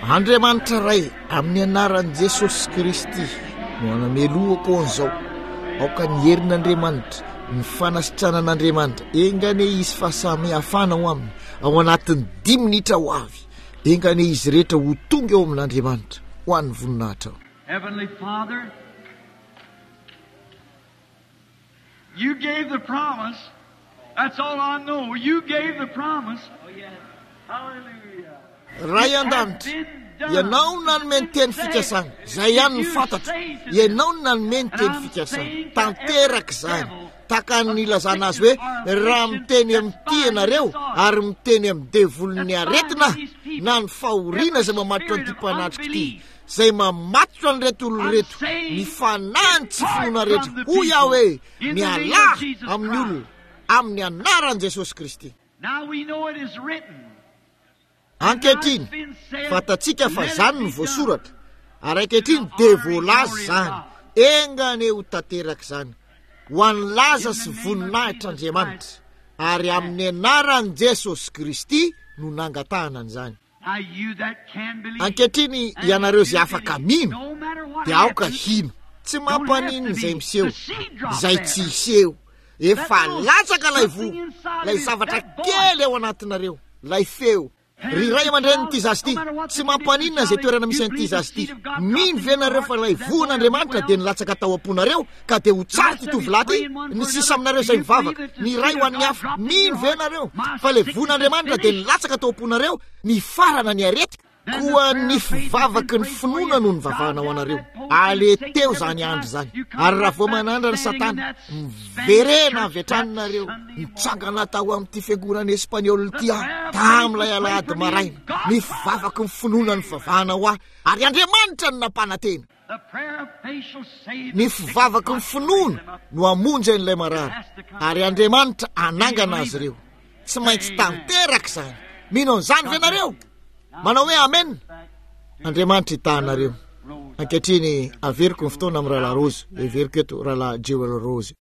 Speaker 1: Andriamanitra Ray, amin'ny anaran'i Jesosy Kristy no anamelohako an'izao. Aoka ny herin'Andriamanitra, ny fanasitranan'Andriamanitra, enga anie hisy fahasamihafana ao aminy, ao anatin'ny dimy minitra ho avy. Enga anie izy rehetra ho tonga eo amin'Andriamanitra, ho an'ny voninahitrao.
Speaker 2: Heavenly Father, you gave the promise. That's all I know. You gave the promise. Hallelujah.
Speaker 1: Ray an-danitra, Ianao no nanome ny teny fikasana. Izay ihany no fantatro. Ianao no nanome ny teny fikasana. Tanteraka izany. Tahaka ny nilazana azy hoe, raha miteny amin'ity ianareo, ary miteny amin'ny devolin'ny aretina, na ny fahoriana izay mamatotra an'ity mpanatrika ity, izay mamatotra an'ireto olona ireto, ny fanahin'ny tsy finoana rehetra, hoy aho hoe, mialà amin'ny olona, amin'ny anaran'i Jesosy Kristy. Ankehitriny, fantatsika fa izany no voasoratra, ary ankehitriny dia voalaza izany. Enga anie ho tanteraka izany, ho an'ny laza sy voninahitr'Andriamanitra, ary amin'ny anaran'i Jesosy Kristy no nangatahana an'izany. Ankehitriny, ianareo izay afaka mino, dia aoka hino. Tsy mampaninona izay miseho, izay tsy hiseho. Efa latsaka ilay voa, ilay zavatra kely ao anatinareo, ilay feo. Ry ray aman-drenin'ity zaza ity, tsy mampaninona izay toerana misy an'ity zaza ity. Mino ve nareo fa ilay voan'Andriamanitra dia nilatsaka tao am-ponareo ka dia ho tsara ity tovolahy ity? Ny sisa aminareo izay mivavaka, ny iray ho an'ny hafa, mino ve nareo fa ilay voan'Andriamanitra dia nilatsaka tao am-ponareo nifarana ny aretiko? Koa ny fivavaky ny finoana no nivavahana ho anareo. Aleteo izany andro izany. Ary raha vao manandrana Satana, miverena avy hatrany nareo. Nitsangana tao amin'ity fiangonana espaniola ity aho, tamin'ilay alahady maraina. Ny fivavaky ny finoana nivavahana ho ahy, ary Andriamanitra no nampanantena. Ny fivavaky ny finoana no hamonjy an'ilay marary, ary Andriamanitra hanangana azy ireo. Tsy maintsy tanteraka izany. Mino an'izany ve nareo? Manao hoe amen. Andriamanitra hitaha anareo. Ankehitriny averiko ny fotoana amin'ny Rahalahy Rose. Heveriko eto Rahalahy Jewel Rose.